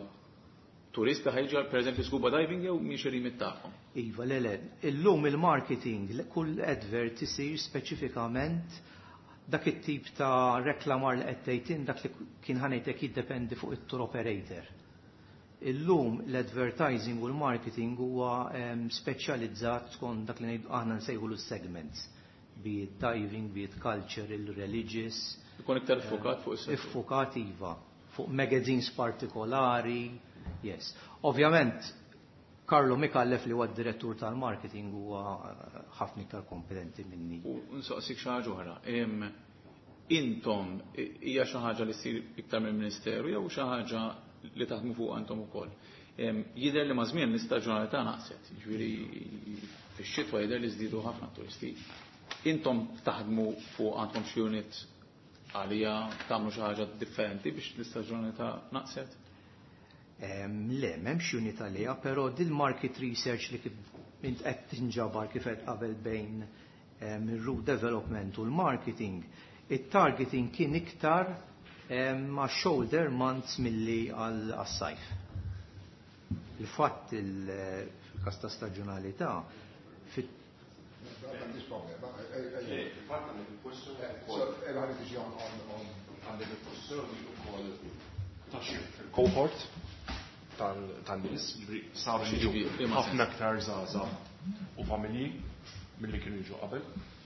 turista ħa jiġi per eżempju scuba diving jew mhix ir-remit tagħhom? Iva, le, le, illum il-marketing, le- kull advert isir speċifikament dak it-tip ta' reklamar li qed tgħid, dak li kien ħa ngħidlek jiddependi fuq it-tour operator. Illum l-advertising u l-marketing huwa em, speċjalizzat skont dak li ngħidu aħna nsejħu l-segments. Be it diving, be it cultural, religious. Ikun iktar iffukat fuq is-settur. Iffukat iva, fuq magazines partikolari, yes. Ovvjament, Carlo Mikallef li huwa d-direttur tal-marketing huwa eh, ħafna iktar kompetenti minni. U nsaqsik xi ħaġa oħra. Em, Intom hija xi ħaġa li ssir iktar mill-Ministeru jew xi ħaġa li taħdmu fuq intom ukoll? Em, Jidher li ma' żmien l-istaġjonalità naqset, jiġifieri fix-xitwa jidher li żdiedu ħafna turisti. Intom taħdmu fuq, għandkom xi unit għalija, tagħmlu xi ħaġa differenti biex l-istaġjonalità naqset? Em, Le, m'hemmx unit għalija, però dil-market research li kif int qed tinġabar kif qed qabel bejn em, il-route development u l-marketing, it-targeting kien iktar em, ma' shoulder months milli għal-sajf. Il-fatt il-kas ta' staġjonalità fit M'għandix problema. Fatt għandek il-kwestjoni So, għandi tiġi on on on għandek il-kwestjoni wkoll ta' shift fil-cohort tan-nies, ġifieri saru jiġu Ġifieri, liema ħafna aktar żgħażagħ u familji milli kienu jiġu qabel.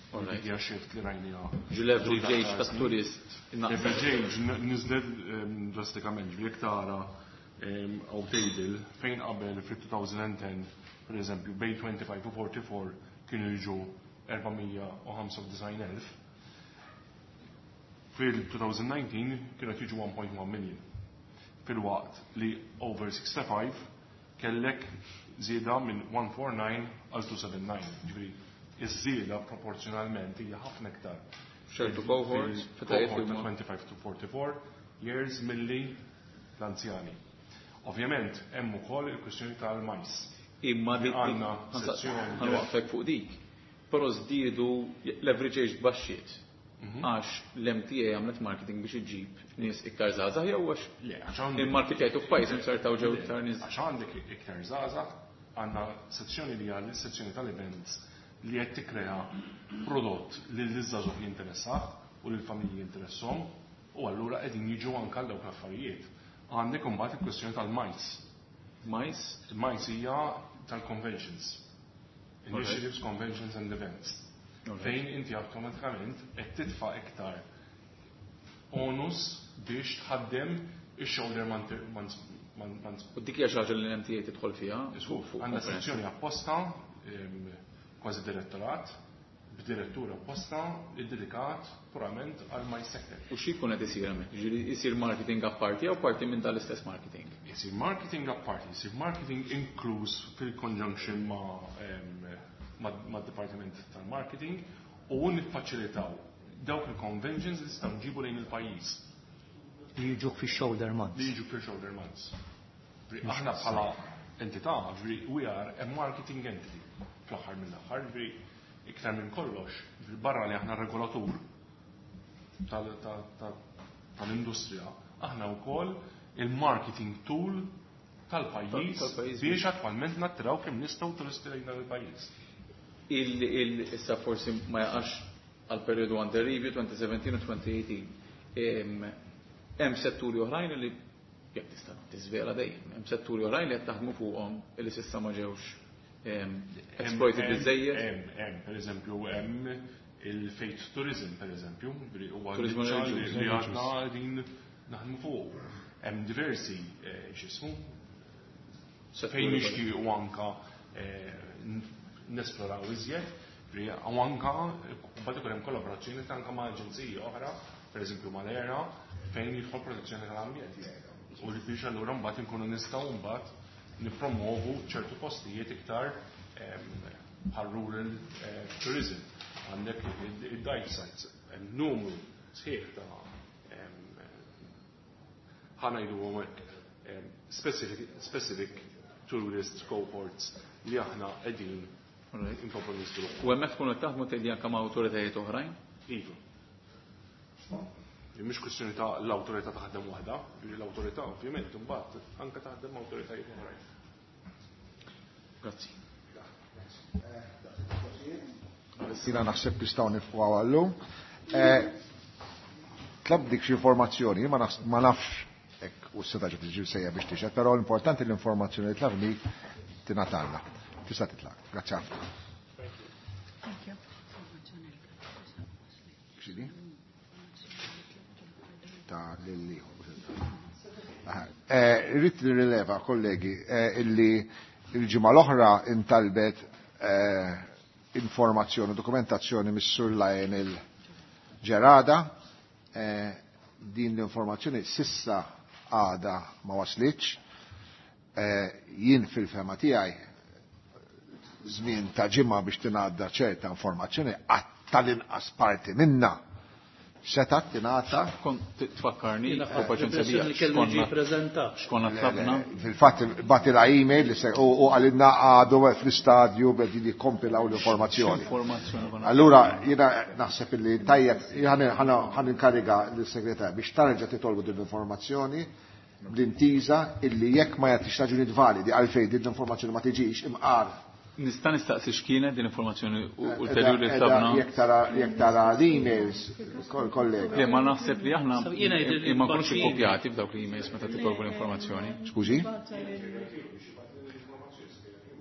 Alright. Dik hija shift li rajniha. Ġu l-average age tat-turist naqset. Average age n- niżlet em, drastikament, ġifieri jekk tara em, għaw table fejn qabel fil-elfejn u għaxra, per eżempju, bejn tminja u għoxrin u erbgħa u erbgħin kienu jiġu erba' mija u ħamsa u disgħin elf, fil-elfejn u dsatax kienu qed jiġu wieħed punt wieħed million. Fil-waqt li over sitta u ħamsin kellek żieda minn mija u disgħa għal mittejn u sebgħa u disgħin. Ġifieri, iż-żieda proporzjonalment hija ħafna iktar Ċertu cohorts, fil-cohort fetajiet li ta' huma twenty-five to forty-four years milli l-anzjani. Ovvjament hemm ukoll il-kwistjoni tal-MICE. Imma dik għandna sezzjoni. Ħa nwaqqfek fuq dik. Però żdiedu l-average age baxxiet. Għax l-M T A għamlet marketing biex iġib nies iktar żgħażagħ jew għax Le, għax għandek il-marketing f'pajjiż insertaw ġew iktar nies. Għax għandek iktar żgħażagħ, għandna sezzjoni li għal sezzjoni tal-events li qed tikkrea prodott li l-żgħażagħ jinteressah u lill-familji jinteresshom u allura qegħdin jiġu anke għal dawk l-affarijiet. Għandek imbagħad il-kwestjoni tal-MICE. MICE? Il-MICE hija tal-conventions. Initiatives, Conventions and Events. Fejn inti awtomatikament qed titfa' iktar onus biex tħaddem ix-shoulder months. U dik hija xi ħaġa li l-M T A tidħol fiha? Għandna sezzjoni apposta, kważi direttorat, b'direttur apposta, iddedikat purament għal MICE sector. U xi jkun qed isir hemmhekk? Ġifieri isir marketing apparti jew parti minn tal-istess marketing? Isir marketing apparti, isir marketing inkluż fil-conjunction ma' ma' dipartiment tal-marketing u niffaċilitaw dawk il-conventions li nistgħu nġibu lejn il-pajjiż. Li jiġuk fi shoulder months. Li jiġu fi shoulder months. Aħna bħala entità, ġifieri we are a marketing entity fl-aħħar mill-aħħar, ġifieri iktar minn kollox, barra li aħna regolatur tal-industrija, aħna wkoll il-marketing tool tal-pajjiż biex attwalment nattiraw kemm nistgħu turisti lejn il-pajjiż. Issa forsi ma jaqax għal periodu under review twenty seventeen u twenty eighteen. Hemm setturi oħrajn li jekk tista' tiżvela dejjem, hemm setturi oħrajn li qed taħdmu fuqhom li s'issa ma ġewx exploited biżejjed. Hemm, hemm, per eżempju, hemm il-faith tourism, per eżempju, huwa Turizmu li għadna qegħdin naħdmu fuq. Hemm diversi x'ismu fejn nixtiequ anka nesploraw iżjed, u anka mbagħad ikun hemm kollaborazzjoni anka ma' aġenziji oħra, per eżempju mal-ERA, fejn jidħol protezzjoni tal-ambjent. U li biex allura mbagħad inkunu nistgħu mbagħad nipromovu ċertu postijiet iktar bħal rural tourism. Għandek id-dive sites, hemm numru sħiħ ta' ħa ngħidu hekk specific, specific tourist cohorts li aħna qegħdin inkomplu niżviluppaw. U hemmhekk tkunu qed taħdmu tgħidli anke ma' awtoritajiet oħrajn? Iva. Mhix kwestjoni ta' l-awtorità taħdem waħda, l-awtorità ovvjament imbagħad anke taħdem ma' awtoritajiet oħrajn. Grazzi. Jiena naħseb nistgħu nieqfu għal-lum. Tlab dik xi informazzjoni, ma nafx hekk u s-seta ġiet tiġi sejja biex tixhed, però l-importanti l-informazzjoni li tlabni tingħatalna. Tista' titlaq. Grazzi ħafna. Thank you. X'inhi? Ta' lilli. Irrid nirrileva, kollegi, illi il-ġimgħa l-oħra intalbet informazzjoni, dokumentazzjoni mis-Sur Lionel Gerada. Din l-informazzjoni s'issa għada ma waslitx. Jien fil-fehma tiegħi żmien ta' ġimgħa biex tingħadda ċerta informazzjoni għat tal-inqas parti minna setat tingħata. Kont tfakkarni, Jiena u paċenzja bija. L-impressjoni li kellu ġie preżentat. X'konna tlabna. Fil-fatt bagħtilha email li se u għalinna għadu fl-istadju bedi jikkompilaw l-informazzjoni. Informazzjoni konna. Allura jiena naħseb illi tajjeb ħa ninkariga l-segretar biex tarġa' titolbu din l-informazzjoni bl-intiża illi jekk ma jagħtix raġunijiet validi għalfejn din l-informazzjoni ma tiġix imqar. Nista' nistaqsi x'kienet din informazzjoni ulterjuri li tlabna? Jekk tara jekk tara l-emails, kollega. Le, ma naħseb li aħna Jiena jidher li ma nkunux baċin. ikkopjati f'dawk l-emails meta titolbu l-informazzjoni. Skużi?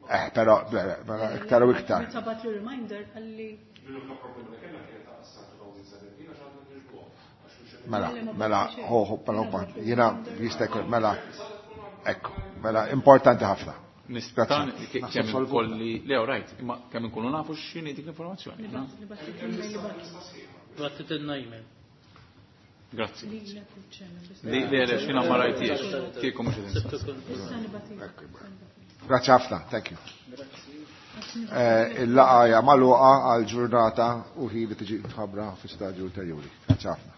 Eh, però, però iktar u iktar. Meta bagħatlu reminder għalli Mela, mela, ho, ho, mela, jiena jista' jkun, mela, ekku, mela, importanti ħafna. Nista' Grazzi. kemm ikolli, le, right, imma kemm inkunu nafu x'inhi dik l-informazzjoni. no? Bagħtitilna email. Grazzi. Lilek u ċ-chairman. Li le, le, x'jiena ma rajtiex, kieku mhux qed Sibtu insaqsi. kun. Issa nibgħatilek. Grazzi ħafna, thank you. Eh, Il-laqgħa hija magħluqa għal ġurnata u ħin li tiġi tħabbra fi stadju ulterjuri. Grazzi ħafna.